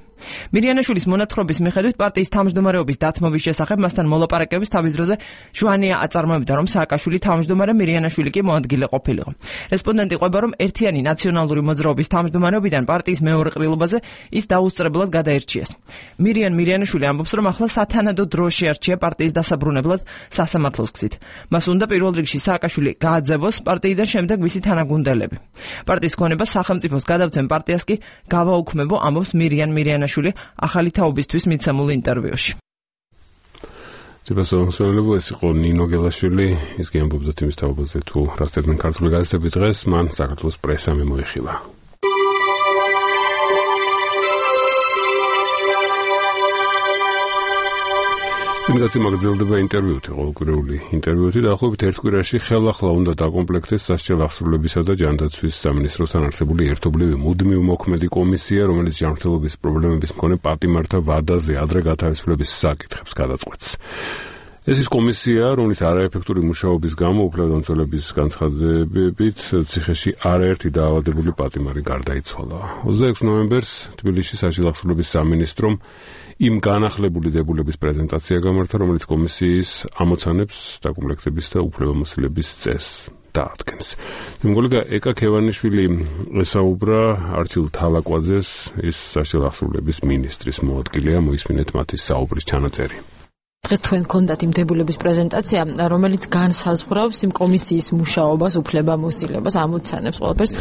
Speaker 3: მირიანაშვილის მონათხრობის მიხედვით პარტიის თავმჯდომარეობის დათმობის შესახებ მასთან მოლაპარაკების თავის დროზე ჟვანია აწარმოებდა, რომ სააკაშვილი თავმჯდომარე მირიანაშვილი კი მოადგილე ყოფილიყო. რესპონდენტი ყვება, რომ ერთიანი ნაციონალური მოძრაობის თავმჯდომარეობიდან პარტიის მეორე ყრილობაზე ის დაუსწრებლად გადაერჩიეს. მირიანაშვილი ამბობს, რომ ახლა სათანადო დრო შეარჩია პარტიის დასაბრუნებლად სასამართლოს გზით. მას უნდა პირველ რიგში სააკაშვილი გააძევოს პარტიიდან, შემდეგ მისი თანაგუნდელები. პარტიის ქონება სახელმწიფოს გადავცემ პარტიას კი გავაუქმებო, ამბობს მირიანაშვილი ახალი თაობისთვის მიცემულ ინტერვიუში.
Speaker 1: ძებასოხსოლებო ეს იყო ნინო გელაშვილი, ის გემბობდა თემის თაობაზე თუ რას წერდნენ ქართული გაზეთები დღეს, მან საქართველოს პრესა მიმოიხილა. იმდაცი მაგძელდება ინტერვიუთი, ყოველკვირეული ინტერვიუთი და ახლობით ერთ კვირაში ხელახლა უნდა დაკომპლექტდეს სასჯელ აღსრულებისა და ჯანდაცვის სამინისტროსთან არსებული ერთობლივი მუდმივ მოქმედი კომისია, რომელიც ჯანმრთელობის პრობლემების მქონე პატიმართა ვადაზე ადრე გათავისუფლების საკითხებს გადაწყვეტს. ეს ის კომისია, რომლის არაეფექტური მუშაობის გამო უფლებდამცველების განცხადებებით ციხეში არაერთი დაავადებული პატიმარი გარდაიცვალა. 26 ნოემბერს თბილისში სასჯელ აღსრულების სამინისტრომ იმ განახლებული დებულების პრეზენტაცია გამართა, რომელიც კომისიის ამოცანებს, დაკომპლექტების და უფლებამოსილების წესს დაადგენს. მეგონა ეკა ქევანიშვილი ესაუბრა არჩილ თალაკვაძეს, ის სასჯელ აღსრულების მინისტრის მოადგილეა, მოისმინეთ მათი საუბრის ჩანაწერი.
Speaker 4: დღეს თქვენ გქონდათ იმ დებულების პრეზენტაცია, რომელიც განსაზღვრავს იმ კომისიის მუშაობას, უფლებამოსილებას, ამოცანებს, ყველაფერს,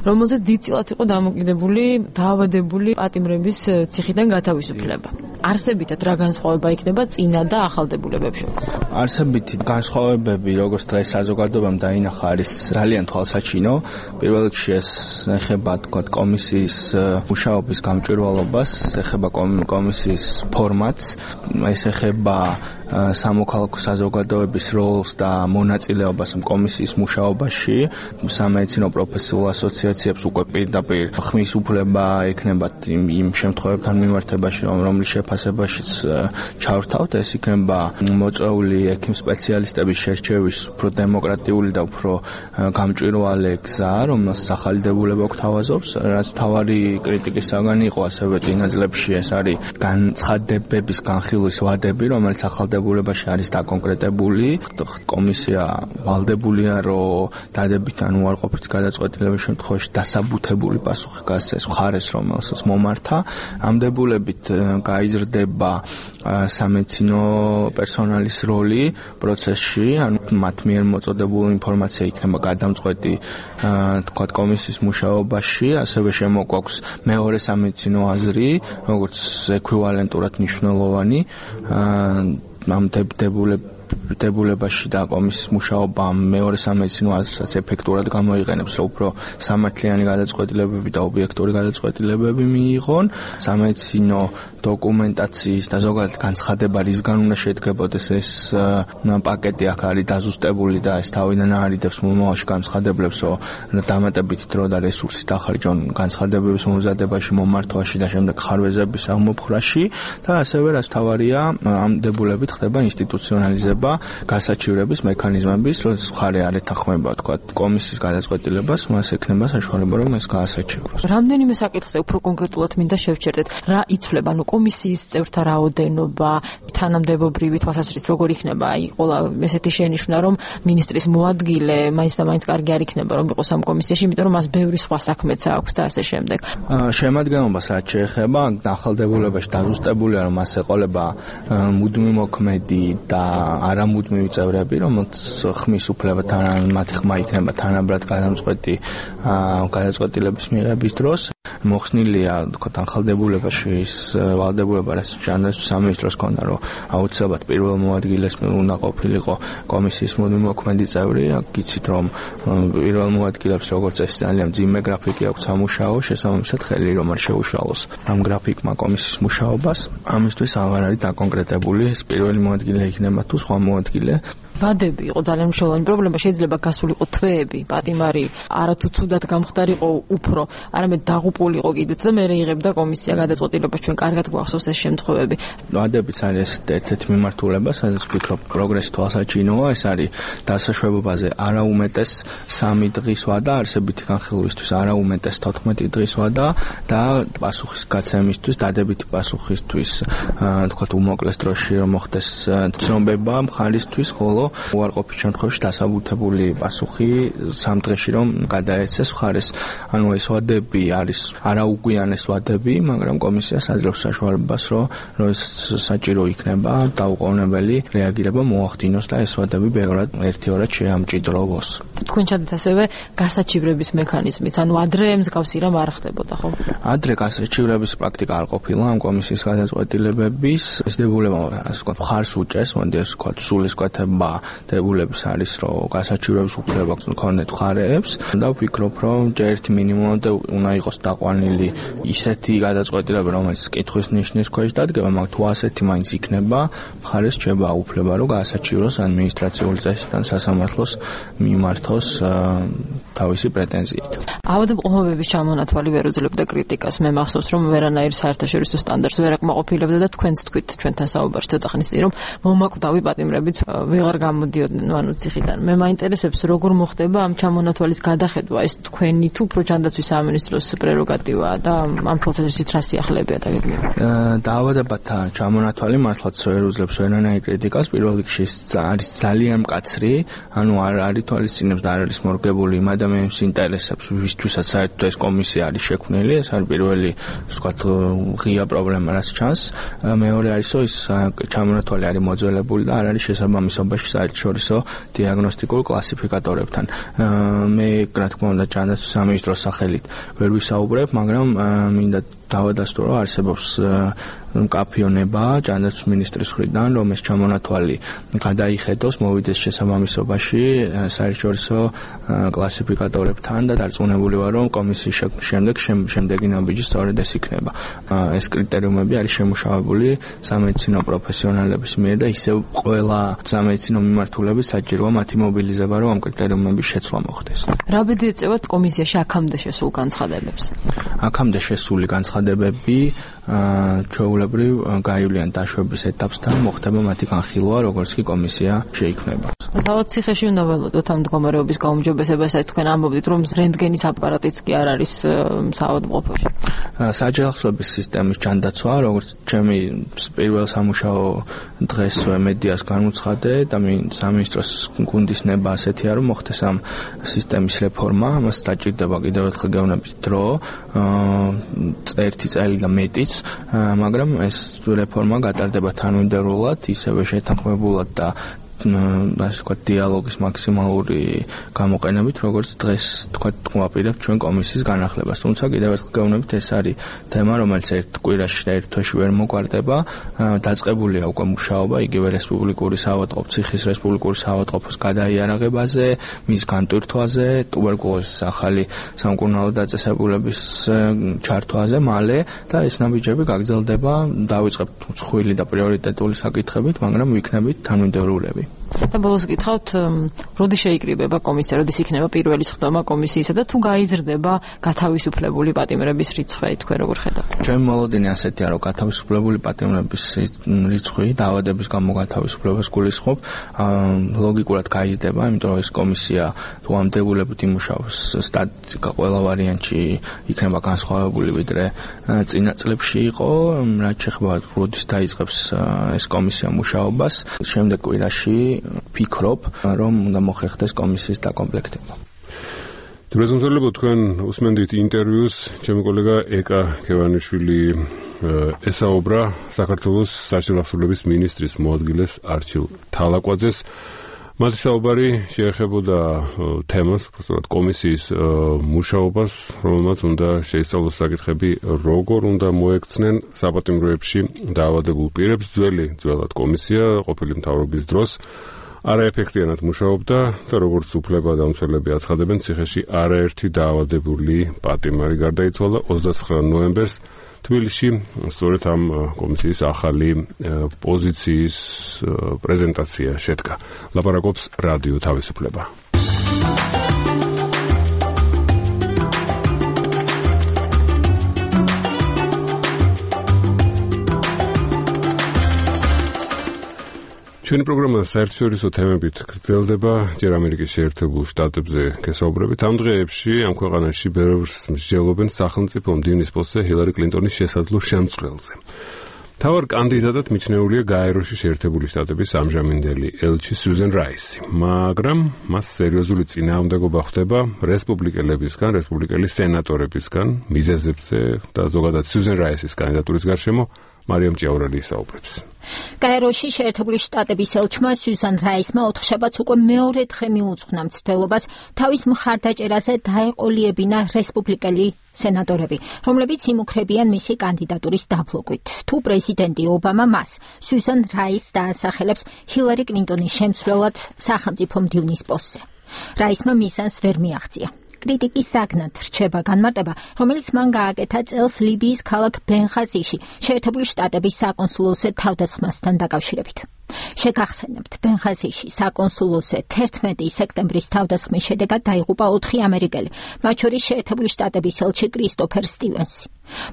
Speaker 4: რომელზეც დიდწილად იყო დამოკიდებული დაავადებული პატიმრების ციხიდან გათავისუფლება. არსებითად რა განსხვავება იქნება წინა და ახალ დებულებებს შორის?
Speaker 8: არსებითი განსხვავებები, როგორც დღეს საზოგადოებამ დაინახა, არის ძალიან თვალსაჩინო. პირველ რიგში ეს ეხება თქვათ კომისიის მუშაობის გამჭვირვალობას, ეხება კომისიის ფორმატს, ეს ეხება სამოქალაქო საზოგადოების როლს და მონაწილეობას კომისიის მუშაობაში, სამედიცინო პროფესიულ ასოციაციებს უკვე პირდაპირ ხმის უფლება ექნებათ იმ შემთხვევებთან მიმართებაში, რომლის შეფასებაშიც ჩავრთავთ, ეს იქნება მოწვეული ექიმ სპეციალისტების შერჩევის უფრო დემოკრატიული და უფრო გამჭვირვალე გზა, რომელსაც ახალი დებულება გვთავაზობს, რაც თავარი კრიტიკის საგანი იყო ასევე წინა წლებში, ეს არის განცხადებების განხილვის ვადები, რომელიც ახალ დებულებაში არის დაკონკრეტებული. კომისია ვალდებულია, რომ დადებითი ან უარყოფითი გადაწყვეტილების შემთხვევაში დასაბუთებული პასუხი გასცეს მხარეს, რომელსაც მომართა. ამ დებულებით გაიზრდება სამედიცინო პერსონალის როლი პროცესში, ანუ მათ მიერ მოწოდებული ინფორმაცია იქნება გადამწყვეტი თქვათ კომისიის მუშაობაში, ასევე შემოგვაქვს მეორე სამედიცინო აზრი, როგორც ექვივალენტურად მნიშვნელოვანი ამ დებულებაში და კომისიის მუშაობა მეორე სამედიცინო აზრსაც ეფექტურად გამოიყენებს, რომ უფრო სამართლიანი გადაწყვეტილებები და ობიექტური გადაწყვეტილებები მიიღონ. სამედიცინო დოკუმენტაციის და ზოგადად განცხადება რისგან უნდა შედგებოდეს, ეს პაკეტი აქ არის დაზუსტებული და ეს თავიდან არიდებს მომავალში განცხადებლებს, რომ დამატებითი დრო და რესურსის დახარჯონ განცხადებების მომზადებაში, მომართვაში და შემდეგ ხარვეზების აღმოფხრაში და ასევე რაც თავარია, ამ დებულებით ხდება ინსტიტუციონალიზება გასაჩივრების მექანიზმების, როდესაც მხარე არ ეთანხმება, თქვა კომისიის გადაწყვეტილებას, მას ექნება საშუალება, რომ ეს გაასაჩივროს.
Speaker 4: რამდენიმე საკითხზე უფრო კონკრეტულად მინდა შევჩერდეთ, რა იცვლება, ანუ კომისიის წევრთა რაოდენობა, თანამდებობრივი თვალსაზრისით როგორ იქნება, აი ყოლა ესეთი შენიშვნა, რომ მინისტრის მოადგილე მაინც და მაინც კარგი არ იქნება, რომ იყოს ამ კომისიაში, იმიტომ რომ მას ბევრი სხვა საქმეც აქვს და ასე შემდეგ.
Speaker 8: შემადგენლობას რაც შეეხება, ახალდებულებაში დაზუსტებულია, რომ მას ეყოლება მუდმივი მოქმედი და არამუდმივი წევრები, რომელց ხმის უფლებათან მათი ხმა იქნება თანაბრად გადამწყვეტი გადაწყვეტილების მიღების დროს. მოხსნილია თქვათ ახალდებულებაში ის ვალდებულება, რაც ჯანდაცვის სამინისტროს ჰქონდა, რომ აუცილებლად პირველ მოადგილეს უნდა ყოფილიყო კომისიის მუდმივი მოქმედი წევრი. გიცით, რომ პირველ მოადგილებს როგორც ეს ძალიან მძიმე გრაფიკი აქვს სამუშაო, შესაბამისად ხელი რომ არ შეუშალოს ამ გრაფიკმა კომისიის მუშაობას. ამისთვის აღარ არის დაკონკრეტებული ეს პირველი მოადგილე იქნება თუ სხვა მოადგილე.
Speaker 4: ვადები იყო ძალიან მნიშვნელოვანი პრობლემა, შეიძლება გასულიყო თვეები, პატიმარი არათუ ცუდად გამხდარიყო უფრო, არამედ დაღუპულიყო კიდეც და მე იღებდა კომისია გადაწყვეტილებას, ჩვენ კარგად გვახსოვს ეს შემთხვევები.
Speaker 8: ვადებიც არის ერთ-ერთი მიმართულება, სადაც ვფიქრობ პროგრესი თვალსაჩინოა, ეს არის დასაშვებობაზე არაუმეტეს 3 დღის ვადა, არსებითი განხილვისთვის არაუმეტეს 14 დღის ვადა და პასუხის გაცემისთვის, დადებითი პასუხისთვის, თქვათ უმოკლეს დროში რომ მოხდეს ცნობება მხარისთვის, ხოლო უარყოფით შემთხვევაში დასაბუთებული პასუხი 3 დღეში რომ გადაეცეს მხარეს. ანუ ეს ვადები არის არაუგვიანეს ვადები, მაგრამ კომისიას აძლევს საშუალებას, რომ საჭირო იქნება დაუყოვნებელი რეაგირება მოახდინოს და ეს ვადები ბევრად ერთ-ორად შეამჭიდროვოს.
Speaker 4: თქვენ ჩადეთ ასევე გასაჩივრების მექანიზმით, ანუ ადრე მსგავსი რამ არ ხდებოდა, ხო?
Speaker 8: ადრე გასაჩივრების პრაქტიკა არ ყოფილა ამ კომისიის გადაწყვეტილებების. ეს დებულება, ასე ვთქვათ, მხარს უჭერს, მოდი ასე ვთქვათ, სულისკვეთება დებულების არის, რომ გასაჩივრების უფლება გქონდეთ მხარეებს და ვფიქრობ, რომ ერთი მინიმუმად უნდა იყოს დაყვანილი ისეთი გადაწყვეტილება, რომელიც კითხვის ნიშნის ქვეშ დადგება, მაგრამ თუ ასეთი მაინც იქნება, მხარეს რჩება უფლება, რომ გასაჩივროს ადმინისტრაციული წესიდან სასამართლოს მიმართოს თავისი პრეტენზიით.
Speaker 4: ავადმყოფობების ჩამონათვალი ვერ უძლებდა კრიტიკას. მე მახსოვს, რომ ვერანაირ საერთაშორისო სტანდარტს ვერ აკმაყოფილებდა და თქვენც თქვით ჩვენთან საუბარში ცოტა ხნის წინ, რომ მომაკვდავი პატიმრებიც ვეღარ გამოდიოდნენ ანუ ციხიდან. მე მაინტერესებს, როგორ მოხდება ამ ჩამონათვალის გადახედვა, ეს თქვენი თუ უფრო ჯანდაცვის სამინისტროს პრეროგატივაა და ამ პროცესით რა სიახლეებია დაგეგმება?
Speaker 8: დაავადებათა ჩამონათვალი მართლაც ვერ უძლებს ვერანაირ კრიტიკას. პირველ რიგში არის ძალიან მკაცრი, ანუ არ ითვალისწინებს და არ არის მორგებული იმ ადამიანის ინტერესებს, ვისთვისაც საერთოდ ეს კომისია არის შექმნილი. ეს არის პირველი, ვთქვათ, ღია პრობლემა, რაც ჩანს. მეორე არის, რომ ის ჩამონათვალი არის მოძველებული და არ არის შესაბამისობაში საერთაშორისო დიაგნოსტიკურ კლასიფიკატორებთან. მე, რა თქმა უნდა, ჯანდაცვის სამინისტროს სახელით ვერ ვისაუბრებ, მაგრამ მინდა დავადასტურო, რომ არსებობს მკაფიონება ჯანდაცვის მინისტრის მხრიდან, რომ ეს ჩამონათვალი გადაიხედოს, მოვიდეს შესაბამისობაში საერთაშორისო კლასიფიკატორებთან და დარწმუნებული ვარ, რომ კომისიის შემდეგი ნაბიჯი სწორედ ეს იქნება. ეს კრიტერიუმები არის შემუშავებული სამედიცინო პროფესიონალების მიერ და ისევ ყველა სამედიცინო მიმართულებით საჭიროა მათი მობილიზება, რომ ამ კრიტერიუმების შეცვლა მოხდეს.
Speaker 4: რა ბედი ეწევათ კომისიაში აქამდე შესულ განცხადებებს?
Speaker 8: აქამდე შესული განცხადებები ჩვეულებრივ გაივლიან დაშვების ეტაპსთან, მოხდება მათი განხილვა, როგორც კი კომისია შეიქმნება.
Speaker 4: თავად ციხეში უნდა ველოდოთ ამ მდგომარეობის გაუმჯობესებას, თქვენ ამბობთ, რომ რენტგენის აპარატიც კი არ არის საავადმყოფოში.
Speaker 8: საჯელახსოების სისტემის ჯანდაცვა, როგორც ჩემი პირველ სამუშაო დღეს მედიას განუცხადე და სამინისტროს გუნდის ნება ასეთია, რომ მოხდეს ამ სისტემის რეფორმა, ამას დაჭირდება კიდევ ერთხელ გეუბნებით დრო, ერთი წელი და მეტიც, მაგრამ ეს რეფორმა გატარდება თანმიმდევრულად, ისევე შეთანხმებულად და ასე ვთქვათ, დიალოგის მაქსიმალური გამოყენებით, როგორც დღეს ვთქვათ, ვაპირებთ ჩვენ კომისიის განახლებას. თუმცა კიდევ ერთხელ გეუბნებით, ეს არის თემა, რომელიც ერთ კვირაში და ერთ თვეში ვერ მოგვარდება. დაწყებულია უკვე მუშაობა იგივე რესპუბლიკური საავადმყოფო, ციხის რესპუბლიკური საავადმყოფოს გადაიარაღებაზე, მის განტვირთვაზე, ტუბერკულოზის ახალი სამკურნალო დაწესებულების ჩართვაზე მალე და ეს ნაბიჯები გაგრძელდება, დავიწყებთ მსხვილი და პრიორიტეტული საკითხებით, მაგრამ ვიქნებით თანმიმდევრულები.
Speaker 4: და ბოლოს გითხავთ, როდი შეიკრიბება კომისია, როდის იქნება პირველი სხდომა კომისიისა და თუ გაიზრდება გათავისუფლებული პატიმრების რიცხვი, თქვენ როგორ ხედავთ?
Speaker 8: ჩემი მოლოდინი ასეთია, რომ გათავისუფლებული პატიმრების რიცხვი დაავადების გამო გათავისუფლებას გულისხმობ, ლოგიკურად გაიზრდება, იმიტომ რომ ეს კომისია თუ ამ დებულებით იმუშავებს, სტატისტიკა ყველა ვარიანტში იქნება განსხვავებული, ვიდრე წინა წლებში იყო, რაც შეეხება როდის დაიწყებს ეს კომისია მუშაობას, შემდეგ კვირაში ვფიქრობ, რომ უნდა მოხერხდეს კომისიის დაკომპლექტება.
Speaker 1: დროებითი თქვენ უსმენდით ინტერვიუს, ჩემი კოლეგა ეკა ქევანიშვილი ესაუბრა საქართველოს საჯელახსოვრების მინისტრის მოადგილეს არჩილ თალაკვაძეს. მათი საუბარი შეეხებოდა თემას, უბრალოდ კომისიის მუშაობას, რომელმაც უნდა შეისწავლოს საკითხები, როგორ უნდა მოექცნენ საპატიმროებში დაავადებულ პირებს. ძველად კომისია ყოფილი მთავრობის დროს არაეფექტიანად მუშაობდა და როგორც უფლებადამცველები აცხადებენ, ციხეში არაერთი დაავადებული პატიმარი გარდაიცვალა 29 ნოემბერს თბილისში სწორედ ამ კომისიის ახალი პოზიციის პრეზენტაცია შედგა. ლაპარაკობს რადიო თავისუფლება. ჩვენი პროგრამა საერთაშორისო თემებით გრძელდება, ჯერ ამერიკის შეერთებულ შტატებზე გესაუბრებით. ამ დღეებში ამ ქვეყანაში ბევრს მსჯელობენ სახელმწიფო მდივნის პოსტზე ჰილარი კლინტონის შესაძლო შემწყრელზე. მთავარ კანდიდატად მიჩნეულია გაეროში შეერთებული შტატების ამჟამინდელი ელჩი სიუზენ რაისი, მაგრამ მას სერიოზული წინააღმდეგობა ხვდება რესპუბლიკელებისგან, რესპუბლიკელი სენატორებისგან, მიზეზებზე და ზოგადად სიუზენ რაისის კანდიდატურის გარშემო მარიამ ჭიაურელი ისაუბრებს.
Speaker 2: გაეროში შეერთებული შტატების ელჩმა სიუზან რაისმა ოთხშაბათს უკვე მეორე დღე მიუძღვნა მცდელობას თავის მხარდაჭერაზე დაეყოლიებინა რესპუბლიკელი სენატორები, რომლებიც იმუქრებიან მისი კანდიდატურის დაბლოკვით. თუ პრეზიდენტი ობამა მას სიუზან რაისს დაასახელებს ჰილარი კლინტონის შემცვლელად სახელმწიფო მდივნის პოსტზე. რაისმა მიზანს ვერ მიაღწია. კრიტიკის საგნად რჩება განმარტება, რომელიც მან გააკეთა წელს ლიბიის ქალაქ ბენღაზიში შეერთებული შტატების საკონსულოზე თავდასხმასთან დაკავშირებით. შეგახსენებთ, ბენღაზიში საკონსულოზე 11 სექტემბრის თავდასხმის შედეგად დაიღუპა 4 ამერიკელი, მათ შორის შეერთებული შტატების ელჩი კრისტოფერ სტივენსი.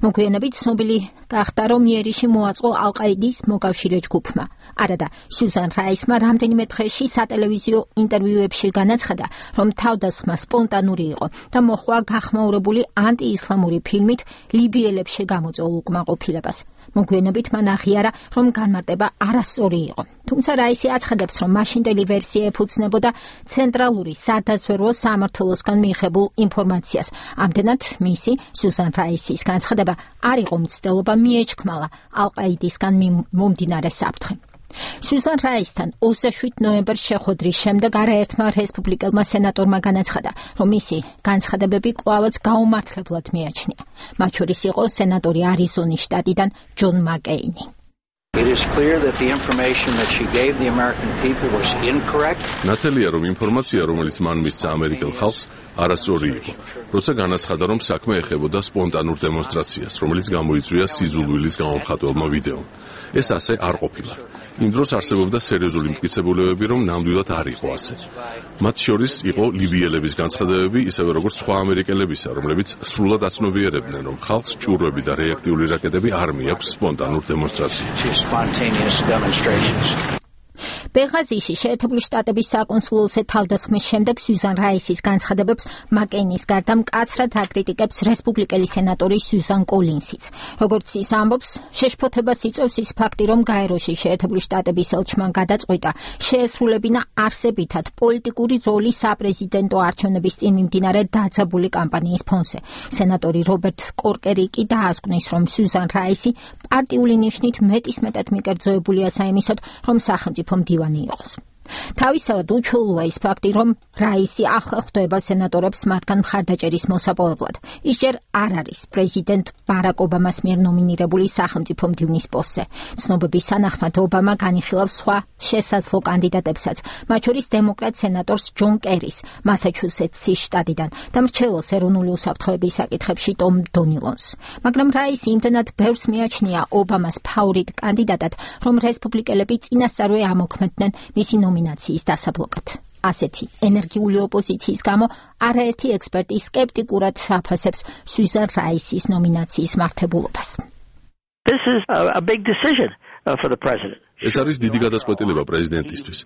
Speaker 2: მოგვიანებით ცნობილი გახდა, რომ იერიში მოაწყო ალ-ყაიდის მოკავშირე ჯგუფმა. არადა, სიუზან რაისმა რამდენიმე დღეში სატელევიზიო ინტერვიუებში განაცხადა, რომ თავდასხმა სპონტანური იყო და მოხვა გახმაურებული ანტიისლამური ფილმით ლიბიელებში გამოწვეულ უკმაყოფილებას. მოგვიანებით მან აღიარა, რომ განმარტება არასწორი იყო. თუმცა რაისი აცხადებს, რომ მაშინდელი ვერსია ეფუძნებოდა ცენტრალური სადაზვერვო სამმართველოსგან მიიღებულ ინფორმაციას. ამდენად მისი სიუზან რაისის განცხადება არ იყო მცდელობა, მიეჩქმალა ალ-ყაიდისგან მომდინარე საფრთხე. სიუზან რაისთან 27 ნოემბერს შეხვედრის შემდეგ არაერთმა რესპუბლიკელმა სენატორმა განაცხადა, რომ მისი განცხადებები კვლავაც გაუმართლებლად მიაჩნია. მათ შორის იყო სენატორი არიზონის შტატიდან ჯონ მაკეინი.
Speaker 5: It is clear that the information that she gave the American people was incorrect.
Speaker 6: ნათელია, რომ ინფორმაცია, რომელიც მან მისცა ამერიკელ ხალხს, არასწორი იყო. როცა განაცხადა, რომ საქმე ეხებოდა სპონტანურ დემონსტრაციას, რომელიც გამოიწვია სიზულვილის გამომხატველმა ვიდეომ. ეს ასე არ ყოფილა. იმ დროს არსებობდა სერიოზული მტკიცებულებები, რომ ნამდვილად არ იყო ასე. მათ შორის იყო ლიბიელების განცხადებები, ისევე როგორც სხვა ამერიკელებისა, რომლებიც სრულად აცნობიერებდნენ, რომ ხალხს ჭურვები და რეაქტიული რაკეტები არ მიაქვს სპონტანურ დემონსტრაციებში.
Speaker 2: ბენღაზიში შეერთებული შტატების საკონსულოზე თავდასხმის შემდეგ სიუზან რაისის განცხადებებს მაკეინის გარდა მკაცრად აკრიტიკებს რესპუბლიკელი სენატორი სიუზან კოლინსიც. როგორც ის ამბობს, შეშფოთებას იწვევს ის ფაქტი, რომ გაეროში შეერთებული შტატების ელჩმა გადაწყვიტა შეესრულებინა არსებითად პოლიტიკური როლი საპრეზიდენტო არჩევნების წინ მიმდინარე დაძაბული კამპანიის ფონზე. სენატორი რობერტ კორკერი კი დაასკვნის, რომ სიუზან რაისი პარტიული ნიშნით მეტისმეტად მიკერძოებულია საიმისოდ, რომ სახელმწიფო მდივანი იყოს. თავისავად უჩვეულოა ის ფაქტი, რომ რაისი ახლა ხვდება სენატორებს მათგან მხარდაჭერის მოსაპოვებლად. ის ჯერ არ არის პრეზიდენტ ბარაკ ობამას მიერ ნომინირებული სახელმწიფო მდივნის პოსტზე. ცნობების თანახმად ობამა განიხილავს სხვა შესაძლო კანდიდატებსაც, მათ შორის დემოკრატ სენატორს ჯონ კერის მასაჩუსეტსის შტატიდან და მრჩეველს ეროვნული უსაფრთხოების საკითხებში ტომ დონილონს. მაგრამ რაისი იმდენად ბევრს მიაჩნია ობამას ფავორიტ კანდიდატად, რომ რესპუბლიკელები წინასწარვე ამოქმედდნენ მისი ნომინაციის დასაბლოკად. ასეთი ენერგიული ოპოზიციის გამო არაერთი ექსპერტი სკეპტიკურად აფასებს სიუზან რაისის ნომინაციის მართებულობას.
Speaker 5: This is a big decision for the president.
Speaker 6: ეს არის დიდი გადაწყვეტილება პრეზიდენტისთვის.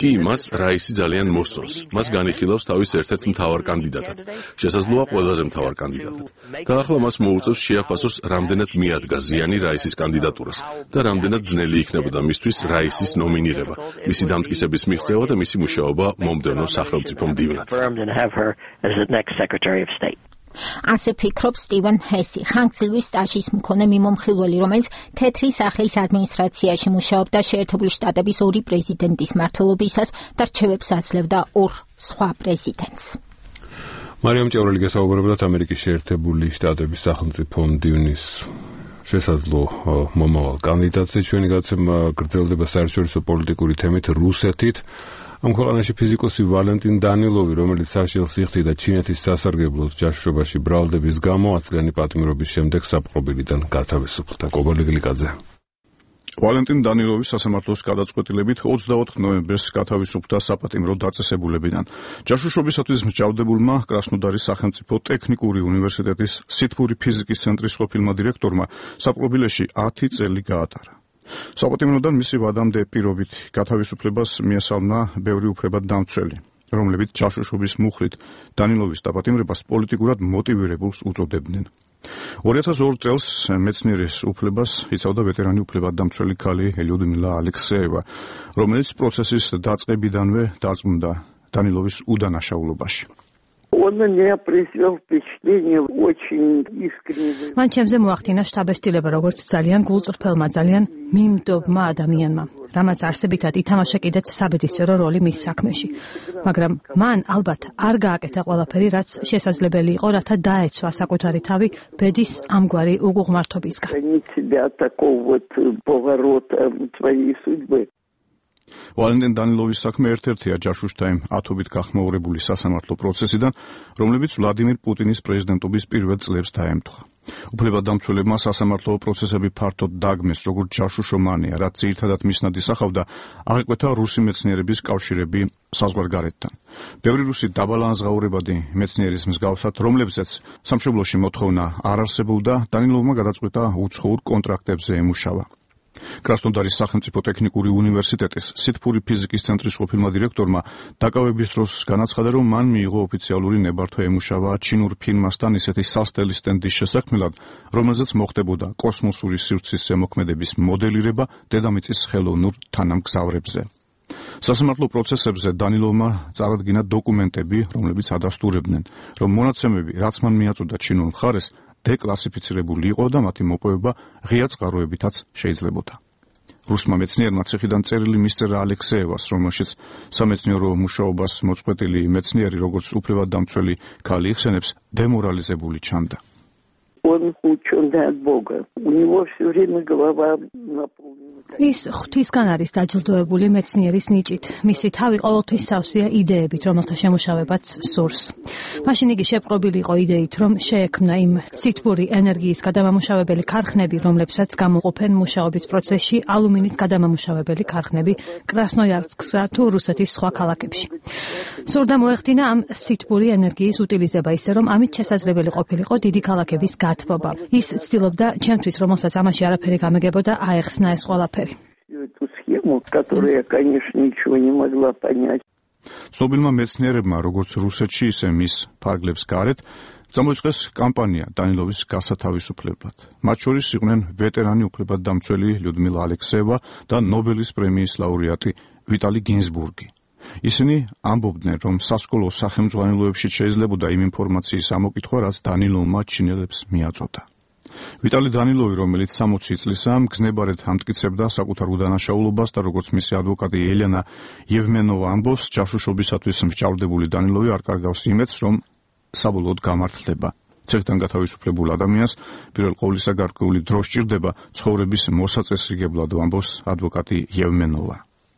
Speaker 6: კი, მას რაისი ძალიან მოსწონს. მას განიხილავს თავის ერთ-ერთ მთავარ კანდიდატად. შესაძლოა ყველაზე მთავარ კანდიდატად. და ახლა მას მოუწევს შეაფასოს, რამდენად მიადგა ზიანი რაისის კანდიდატურას და რამდენად ძნელი იქნებოდა მისთვის რაისის ნომინირება, მისი დამტკიცების მიღწევა და მისი მუშაობა მომდევნო სახელმწიფო მდივნად.
Speaker 2: ასე ფიქრობს სტივენ ჰესი, ხანგრძლივი სტაჟის მქონე მიმომხილველი, რომელიც თეთრი სახლის ადმინისტრაციაში მუშაობდა შეერთებული შტატების ორი პრეზიდენტის მმართველობისას და რჩევებს აძლევდა ორ სხვა პრეზიდენტს.
Speaker 1: მარიამ ჭიაურელი გესაუბრებოდათ ამერიკის შეერთებული შტატების სახელმწიფო მდივნის შესაძლო მომავალ კანდიდატზე. ჩვენი გაცემა გრძელდება საერთაშორისო პოლიტიკური თემით რუსეთით. ამ ქვეყანაში ფიზიკოსი ვალენტინ დანილოვი, რომელიც საშილს იხდიდა ჩინეთის სასარგებლოდ ჯაშუშობაში ბრალდების გამო 10 წლიანი პატიმრობის შემდეგ საპყრობილიდან გათავისუფლდა. კობალიგლიკაძე.
Speaker 9: ვალენტინ დანილოვის სასამართლოს გადაწყვეტილებით 24 ნოემბერს გათავისუფლდა საპატიმრო დაწესებულებიდან. ჯაშუშობისათვის მსჯავრდებულმა კრასნოდარის სახელმწიფო ტექნიკური უნივერსიტეტის სითბური ფიზიკის ცენტრის ყოფილმა დირექტორმა საპყრობილეში 10 წელი გაატარა. საპატიმროდან მისი ვადამდე პირობით გათავისუფლებას მიესალმა ბევრი უფლებადდამცველი, რომლებიც ჯაშუშობის მუხლით დანილოვის დაპატიმრებას პოლიტიკურად მოტივირებულს უწოდებდნენ. 2002 წელს მეცნიერის უფლებას იცავდა ვეტერანი უფლებადდამცველი ქალი ლიუდმილა ალექსეევა, რომელიც პროცესის დაწყებიდანვე დარწმუნდა დანილოვის უდანაშაულობაში.
Speaker 22: Он меня произвел впечатление очень искренне.
Speaker 10: მან ჩემზე მოახდინა შთაბეჭდილება როგორც ძალიან გულწრფელმა, ძალიან მიმდობმა ადამიანმა, რამაც არსებითად ითამაშა კიდეც საბედისწერო როლი მის საქმეში. მაგრამ მან ალბათ არ გააკეთა ყველაფერი, რაც შესაძლებელი იყო, რათა დაეცვა საკუთარი თავი ბედის ამგვარი უგუღმართობისგან.
Speaker 9: ვალენტინ დანილოვის საქმე ერთ-ერთია ჯაშუშთა იმ ათობით გახმაურებული სასამართლო პროცესიდან, რომლებიც ვლადიმირ პუტინის პრეზიდენტობის პირველ წლებს დაემთხვა. უფლებადდამცველებმა სასამართლო პროცესები ფართოდ დაგმეს, როგორც ჯაშუშომანია, რაც ძირითადად მისნად ისახავდა აღიკვეთა რუსი მეცნიერების კავშირები საზღვარგარეთთან. ბევრი რუსი დაბალანზღაურებადი მეცნიერის მსგავსად, რომლებზეც სამშობლოში მოთხოვნა არ არსებობდა, დანილოვმა გადაწყვიტა უცხოურ კონტრაქტებზე ემუშავა. კრასნოდარის სახელმწიფო ტექნიკური უნივერსიტეტის სითბური ფიზიკის ცენტრის ყოფილმა დირექტორმა დაკავების დროს განაცხადა, რომ მან მიიღო ოფიციალური ნებართვა ემუშავა ჩინურ ფირმასთან ისეთი სასტელი სტენდის შესაქმნელად, რომელზეც მოხდებოდა კოსმოსური სივრცის ზემოქმედების მოდელირება დედამიწის ხელოვნურ თანამგზავრებზე. სასამართლო პროცესებზე დანილოვმა წარადგინა დოკუმენტები, რომლებიც ადასტურებდნენ, რომ მონაცემები, რაც მან მიაწოდა ჩინურ მხარეს, დეკლასიფიცირებული იყო და მათი მოპოვება ღია წყაროებითაც შეიძლებოდა. რუსმა მეცნიერმა ციხიდან წერილი მისწერა ალექსეევას, რომელშიც სამეცნიერო მუშაობას მოწყვეტილი მეცნიერი, როგორც უფლებადდამცველი ქალი იხსენებს, დემორალიზებული ჩანდა.
Speaker 22: Он учёный от Бога. У него всё время голова наполнена.
Speaker 10: ის ღვთისგან არის დაჯილდოებული მეცნიერის ნიჭით. მისი თავი ყოველთვის სავსეა იდეებით, რომელთა შემუშავებაც სურს. მაშინ იგი შეპყრობილი იყო იდეით, რომ შეექმნა იმ სითბური ენერგიის გადამამუშავებელი ქარხნები, რომლებსაც გამოყოფენ მუშაობის პროცესში ალუმინის გადამამუშავებელი ქარხნები კრასნოიარსკსა თუ რუსეთის სხვა ქალაქებში. სურდა მოეხდინა ამ სითბური ენერგიის უტილიზება ისე, რომ ამით შესაძლებელი ყოფილიყო დიდი ქალაქების გათბობა. ის ცდილობდა ჩემთვის, რომელსაც ამაში არაფერი გამეგებოდა, აეხსნა ეს ყველაფერი.
Speaker 22: Эту схему, которую я, конечно, ничего не могла понять.
Speaker 9: ცნობილმა მეცნიერებმა, როგორც რუსეთში, ისე მის ფარგლებს გარეთ, წამოიწყეს კამპანია დანილოვის გასათავისუფლებლად. მათ შორის იყვნენ ვეტერანი უფლებადდამცველი ლიუდმილა ალექსეევა და ნობელის პრემიის ლაურეატი ვიტალი გინზბურგი. ისინი ამბობდნენ, რომ სასკოლო სახელმძღვანელოებში შეიძლებოდა იმ ინფორმაციის ამოკითხვა, რაც დანილოვმა ჩინელებს მიაწოდა. ვიტალი დანილოვი, რომელიც 60 წლისაა, მგზნებარედ ამტკიცებდა საკუთარ უდანაშაულობას და როგორც მისი ადვოკატი ელენა იევმენოვა ამბობს, ჯაშუშობისათვის მსჯავრდებული დანილოვი არ კარგავს იმედს, რომ საბოლოოდ გამართლდება. ციხიდან გათავისუფლებულ ადამიანს პირველ ყოვლისა გარკვეული დრო სჭირდება ცხოვრების მოსაწესრიგებლად, ამბობს ადვოკატი იევმენოვა.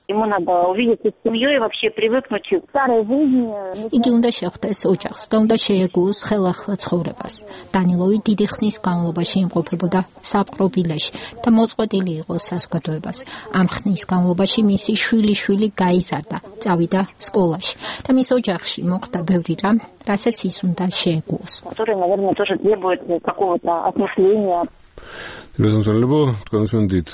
Speaker 12: Ему надо увидеться с семьей и вообще привыкнуть к старой жизни.
Speaker 2: იგი უნდა შეხვდეს ოჯახს და უნდა შეეგუოს ხელახლა ცხოვრებას. დანილოვი დიდი ხნის განმავლობაში იმყოფებოდა საპყრობილეში და მოწყვეტილი იყო საზოგადოებას. ამ ხნის განმავლობაში მისი შვილი გაიზარდა, წავიდა სკოლაში და მის ოჯახში მოხდა ბევრი რამ, რასაც ის უნდა შეეგუოს.
Speaker 12: Который, наверное, тоже требует какого-то осмысления.
Speaker 1: Разумеется, თქვენსვენდით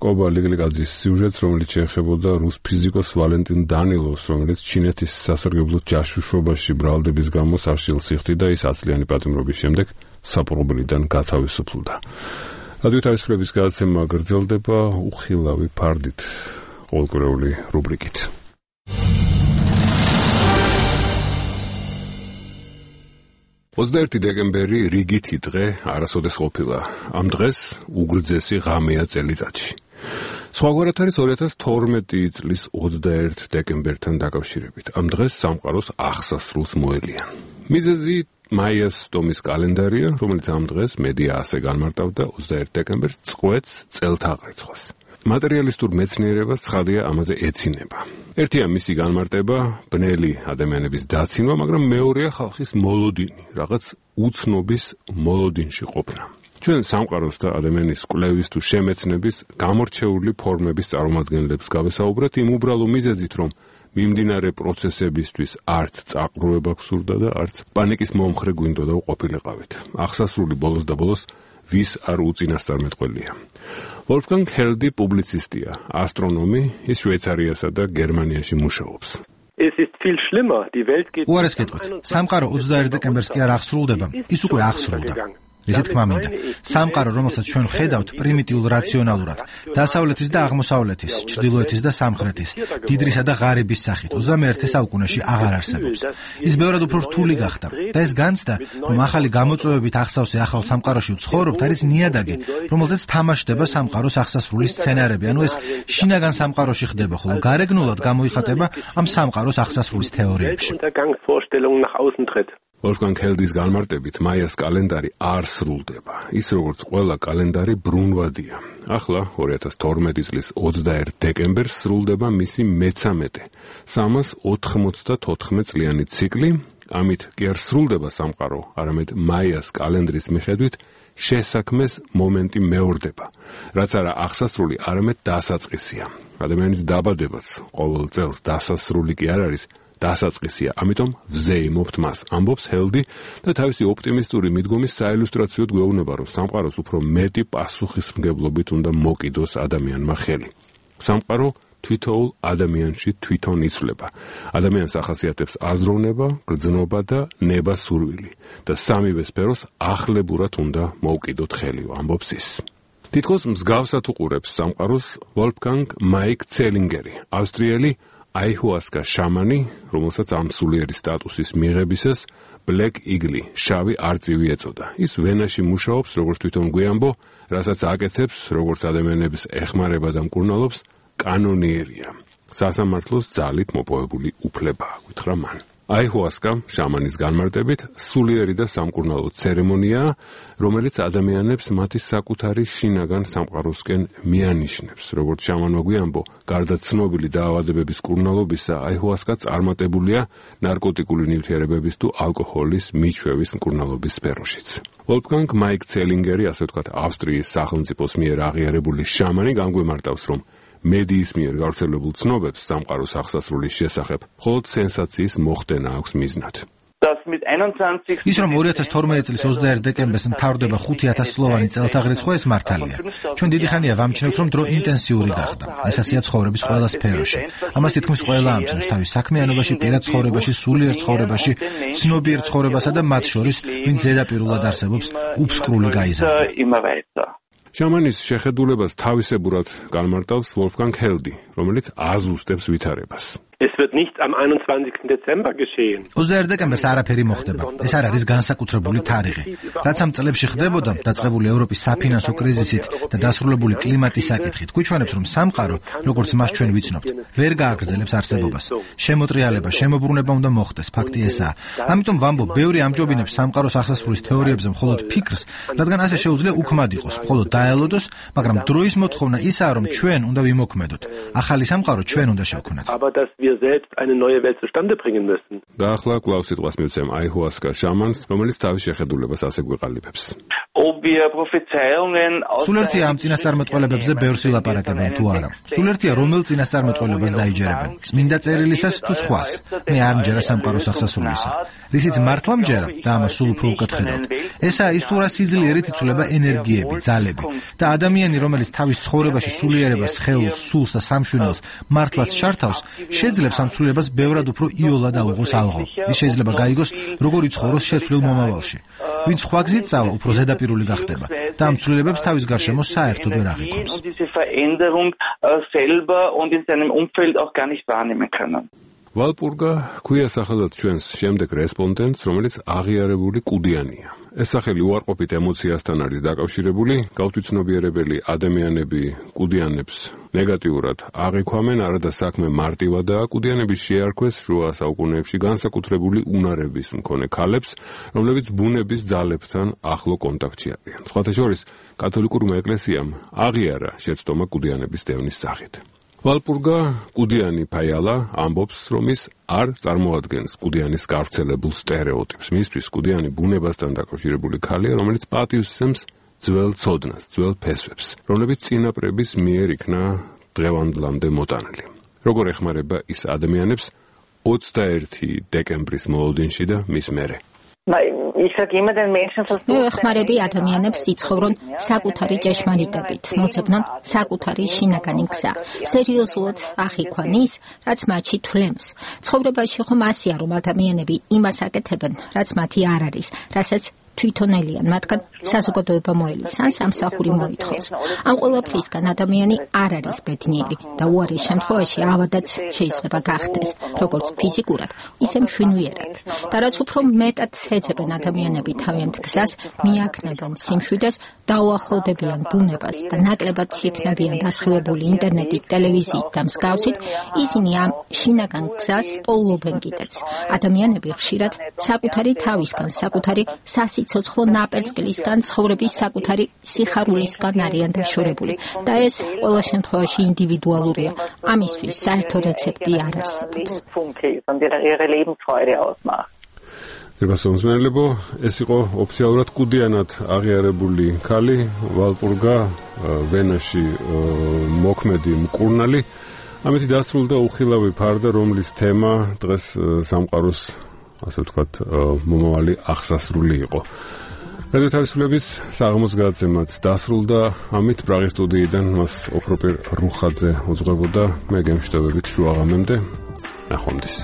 Speaker 1: კობა ლიგლიკაძის სიუჟეტს, რომელიც შეეხებოდა რუს ფიზიკოს ვალენტინ დანილოვს, რომელიც ჩინეთის სასარგებლოდ ჯაშუშობაში ბრალდების გამო საშილს იხდიდა, ის 10 წლიანი პატიმრობის შემდეგ საპყრობილიდან გათავისუფლდა. რადიო თავისუფლების გადაცემა გრძელდება უხილავი ფარდით, ყოველკვირეული რუბრიკით. 21 დეკემბერი რიგითი დღე არასოდეს ყოფილა. ამ დღეს უგრძესი ღამეა წელიწადში. სხვაგვარად არის 2012 წლის 21 დეკემბერთან დაკავშირებით. ამ დღეს სამყაროს აღსასრულს მოელიან. მიზეზი მაიას ტომის კალენდარია, რომელიც ამ დღეს მედია ასე განმარტავდა 21 დეკემბერს წყვეტს წელთაღრიცხვას. მატერიალისტურ მეცნიერებას ცხადია ამაზე ეცინება. ერთია მისი განმარტება, ბნელი ადამიანების დაცინვა, მაგრამ მეორეა ხალხის მოლოდინი, რაღაც უცნობის მოლოდინში ყოფნა. ჩვენ სამყაროს და ადამიანის კვლევის თუ შემეცნების გამორჩეული ფორმების წარმომადგენლებს გავესაუბრეთ იმ უბრალო მიზეზით, რომ მიმდინარე პროცესებისთვის არც წაყრუება გსურდა და არც პანიკის მომხრე გვინდოდა ყოფილიყავით. აღსასრული ბოლოს და ბოლოს ვის არ უწინასწარმეტყველია. ვოლფგანგ ჰელდი პუბლიცისტია, ასტრონომი, ის შვეიცარიასა და გერმანიაში მუშაობს.
Speaker 7: უარეს გეტყვით, სამყარო 21 დეკემბერს კი არ აღსრულდება, ის უკვე აღსრულდა. ესე თქმა მინდა, სამყარო, რომელსაც ჩვენ ხედავთ პრიმიტიულ რაციონალურად, დასავლეთის და აღმოსავლეთის, ჩრდილოეთის და სამხრეთის, დიდრისა და ღარიბის სახით 21 საუკუნეში აღარ არსებობს. ის ბევრად უფრო რთული გახდა და ეს განცდა, რომ ახალი გამოწვევებით ახსავსე ახალ სამყაროში ვცხოვრობთ, არის ნიადაგი, რომელზეც თამაშდება სამყაროს აღსასრული სცენარები, ანუ ეს შინაგან სამყაროში ხდება, ხოლო გარეგნულად გამოიხატება ამ სამყაროს ახსასრულის თეორიებში.
Speaker 1: ვოლფგანგ ჰელდის განმარტებით, მაიას კალენდარი არ სრულდება. ის როგორც ყველა კალენდარი ბრუნვადია. ახლა 2012 წლის 21 დეკემბერს სრულდება მისი მე-13, 394 წლიანი ციკლი. ამით კი არ სრულდება სამყარო, არამედ მაიას კალენდრის მიხედვით შესაქმეს მომენტი მეორდება, რაც არა აღსასრული, არამედ დასაწყისია. ადამიანის დაბადებაც ყოველ წელს დასასრული კი არ არის, დასაწყისია, ამიტომ ვზეიმობთ მას, ამბობს ჰელდი და თავისი ოპტიმისტური მიდგომის საილუსტრაციოდ გვეუბნება, რომ სამყაროს უფრო მეტი პასუხისმგებლობით უნდა მოკიდოს ადამიანმა ხელი. სამყარო თვითოულ ადამიანში თვითონ იცვლება. ადამიანს ახასიათებს აზროვნება, გრძნობა და ნება-სურვილი და სამივე სფეროს ახლებურად უნდა მოუკიდოთ ხელი, ამბობს ის. თითქოს მსგავსად უყურებს სამყაროს ვოლფგანგ მაიკ ცელინგერი, ავსტრიელი აიჰუასკა შამანი, რომელსაც ამ სულიერი სტატუსის მიღებისას Black Eagle, შავი არწივი ეწოდა. ის ვენაში მუშაობს, როგორც თვითონ გვიამბო, რასაც აკეთებს, როგორც ადამიანების ეხმარება და მკურნალობს, კანონიერია. სასამართლოს ძალით მოპოვებული უფლებაა, გითხრა მან. აიჰუასკა შამანის განმარტებით სულიერი და სამკურნალო ცერემონიაა, რომელიც ადამიანებს მათი საკუთარი შინაგან სამყაროსკენ მიანიშნებს. როგორც შამანმა გვიამბო, გარდა ცნობილი დაავადებების მკურნალობისა, აიჰუასკა წარმატებულია ნარკოტიკული ნივთიერებების თუ ალკოჰოლის მიჩვევის მკურნალობის სფეროშიც. ვოლფგანგ მაიკ ცელინგერი, ასე ვთქვათ, ავსტრიის სახელმწიფოს მიერ აღიარებული შამანი განგვიმარტავს, რომ მედიის მიერ გავრცელებულ ცნობებს სამყაროს აღსასრულის შესახებ მხოლოდ სენსაციის მოხდენა აქვს მიზნად.
Speaker 7: ის რომ 2012 წლის 21 დეკემბერს მთავრდება 5000 სლოვანი წელთაღრიცხვა, ეს მართალია. ჩვენ დიდი ხანია ვამჩნევთ, რომ დრო ინტენსიური გახდა. ეს ასეა ცხოვრების ყველა სფეროში. ამას თითქმის ყველა ამჩნევს თავის საქმიანობაში, პირად ცხოვრებაში, სულიერ ცხოვრებაში, ცნობიერ ცხოვრებასა და მათ შორის, ვინც ზედაპირულად არსებობს, უფსკრული გაიზარდა.
Speaker 1: შამანის შეხედულებას თავისებურად განმარტავს ვოლფგანგ ჰელდი, რომელიც აზუსტებს ვითარებას.
Speaker 13: Es wird nicht am 21. Dezember geschehen.
Speaker 7: 21 დეკემბერს არაფერი მოხდება. ეს არ არის განსაკუთრებული თარიღი. რაც ამ წლებში ხდებოდა, დაწყებული ევროპის საფინანსო კრიზისით და დასრულებული კლიმატის საკითხით, გვიჩვენებს, რომ სამყარო, როგორც მას ჩვენ ვიცნობთ, ვერ გააგრძელებს არსებობას. შემოტრიალება, შემოbrunება უნდა მოხდეს, ფაქტი ესაა. ამიტომ ვამბობ, ბევრი ამჯობინებს სამყაროს აღსასრულის თეორიებზე მხოლოდ ფიქრს, რადგან ასე შეუძლია უქმად იყოს, მხოლოდ დაელოდოს, მაგრამ დროის მოთხოვნა ისაა, რომ ჩვენ უნდა ვიმოქმედოთ. ახალი სამყარო ჩვენ უნდა შევქმნათ.
Speaker 13: Wir selbst eine neue Welt zustande bringen müssen.
Speaker 1: და ახლა კვლავ სიტყვას მივცემ აიჰუასკა შამანს, რომელიც თავის შეხედულებას ასე გვეყალიბებს.
Speaker 7: სულ ერთია ამ წინასწარმეტყველებებზე ბევრს ილაპარაკებენ თუ არა. სულ ერთია რომელ წინასწარმეტყველებას დაიჯერებენ. წმინდა წერილისას თუ სხვას. მე არ მჯერა სამყაროს აღსასრულისა. რისიც მართლა მჯერა და ამას სულ უფრო უკეთხედავთ. ესაა ის თუ რა სიძლიერით იცვლება ენერგიები, ძალები და ადამიანი, რომელიც თავის ცხოვრებაში სულიერებას, სხეულს, სულს და სამშვენელს მართლაც ჩართავს, შეძლებს ამ სულიერებას ბევრად უფრო იოლად აუღოს ალღო. ის შეიძლება გაიგოს, როგორ იცხოვროს შესვლილ მომავალში. ვინც სხვა გზით წავა, უფრო ზედაპირული გახდება და ამ სულიერებებს თავის გარშემო საერთოდ ვერ აღიქვამს.
Speaker 1: ვალპურგა ქვია სახელად ჩვენს შემდეგ რესპონდენტს, რომელიც აღიარებული კუდიანია. ეს სახელი უარყოფით ემოციასთან არის დაკავშირებული, გაუთვითცნობიერებელი ადამიანები კუდიანებს ნეგატიურად აღიქვამენ, არადა საქმე მარტივადაა, კუდიანების შეარქვეს შუა საუკუნეებში განსაკუთრებული უნარების მქონე ქალებს, რომლებიც ბუნების ძალებთან ახლო კონტაქტში არიან. სხვათა შორის, კათოლიკურმა ეკლესიამ აღიარა შეცდომა კუდიანების დევნის სახით. ვალპურგა კუდიანი ფაიალა ამბობს, რომ ის არ წარმოადგენს კუდიანის გავრცელებულ სტერეოტიპს. მისთვის კუდიანი ბუნებასთან დაკავშირებული ქალია, რომელიც პატივს სცემს ძველ ცოდნას, ძველ ფესვებს, რომლებიც წინაპრების მიერ იქნა დღევანდლამდე მოტანილი. როგორ ეხმარება ის ადამიანებს 21 დეკემბრის მოლოდინში და მის მერე?
Speaker 2: მე ვეხმარები ადამიანებს იცხოვრონ საკუთარი ჭეშმარიტებით, მოძებნონ საკუთარი შინაგანი გზა, სერიოზულად აღიქვან ის, რაც მათში თვლემს. ცხოვრებაში ხომ ასია, რომ ადამიანები იმას აკეთებენ, რაც მათი არ არის, რასაც თვითონელიან, მათგან საზოგადოება მოელისან, სამსახური მოითხოვს. ამ ყველაფრისგან ადამიანი არ არის ბედნიერი და უარის შემთხვევაში ავადაც შეიძლება გახდეს, როგორც ფიზიკურად, ისე მშვენიერად. და რაც უფრო მეტად ეძებენ ადამიანები თავიანთ გზას, მიაქნებენ სიმშვიდეს, დაუახლოვდებიან ბუნებას და ნაკლებად იქნებიან დასხივებული ინტერნეტით, ტელევიზიით და მსგავსით, ისინი ამ შინაგან გზას პოულობენ კიდეც. ადამიანები ხშირად საკუთარი თავისგან, საკუთარი სიცოცხლო ნაპერწკლისგან, ცხოვრების საკუთარი სიხარულისგან არიან დაშორებული და ეს ყველა შემთხვევაში ინდივიდუალურია. ამისთვის საერთო რეცეპტი არ არსებობს.
Speaker 1: გასაუმსმენელებო, ეს იყო ოფიციალურად კუდიანად აღიარებული ქალი, ვალპურგა ვენაში მოქმედი მკურნალი. ამით დასრულდა უხილავი ფარდა, რომლის თემა დღეს სამყაროს, ასე ვთქვათ, მომავალი აღსასრული იყო. რადიო თავისუფლების საღამოს გადაცემაც დასრულდა. ამით პრაღის სტუდიიდან მას ოქროპირ რუხაძე უძღვებოდა. მე გემშვიდობებით შუაღამემდე. ნახვამდის.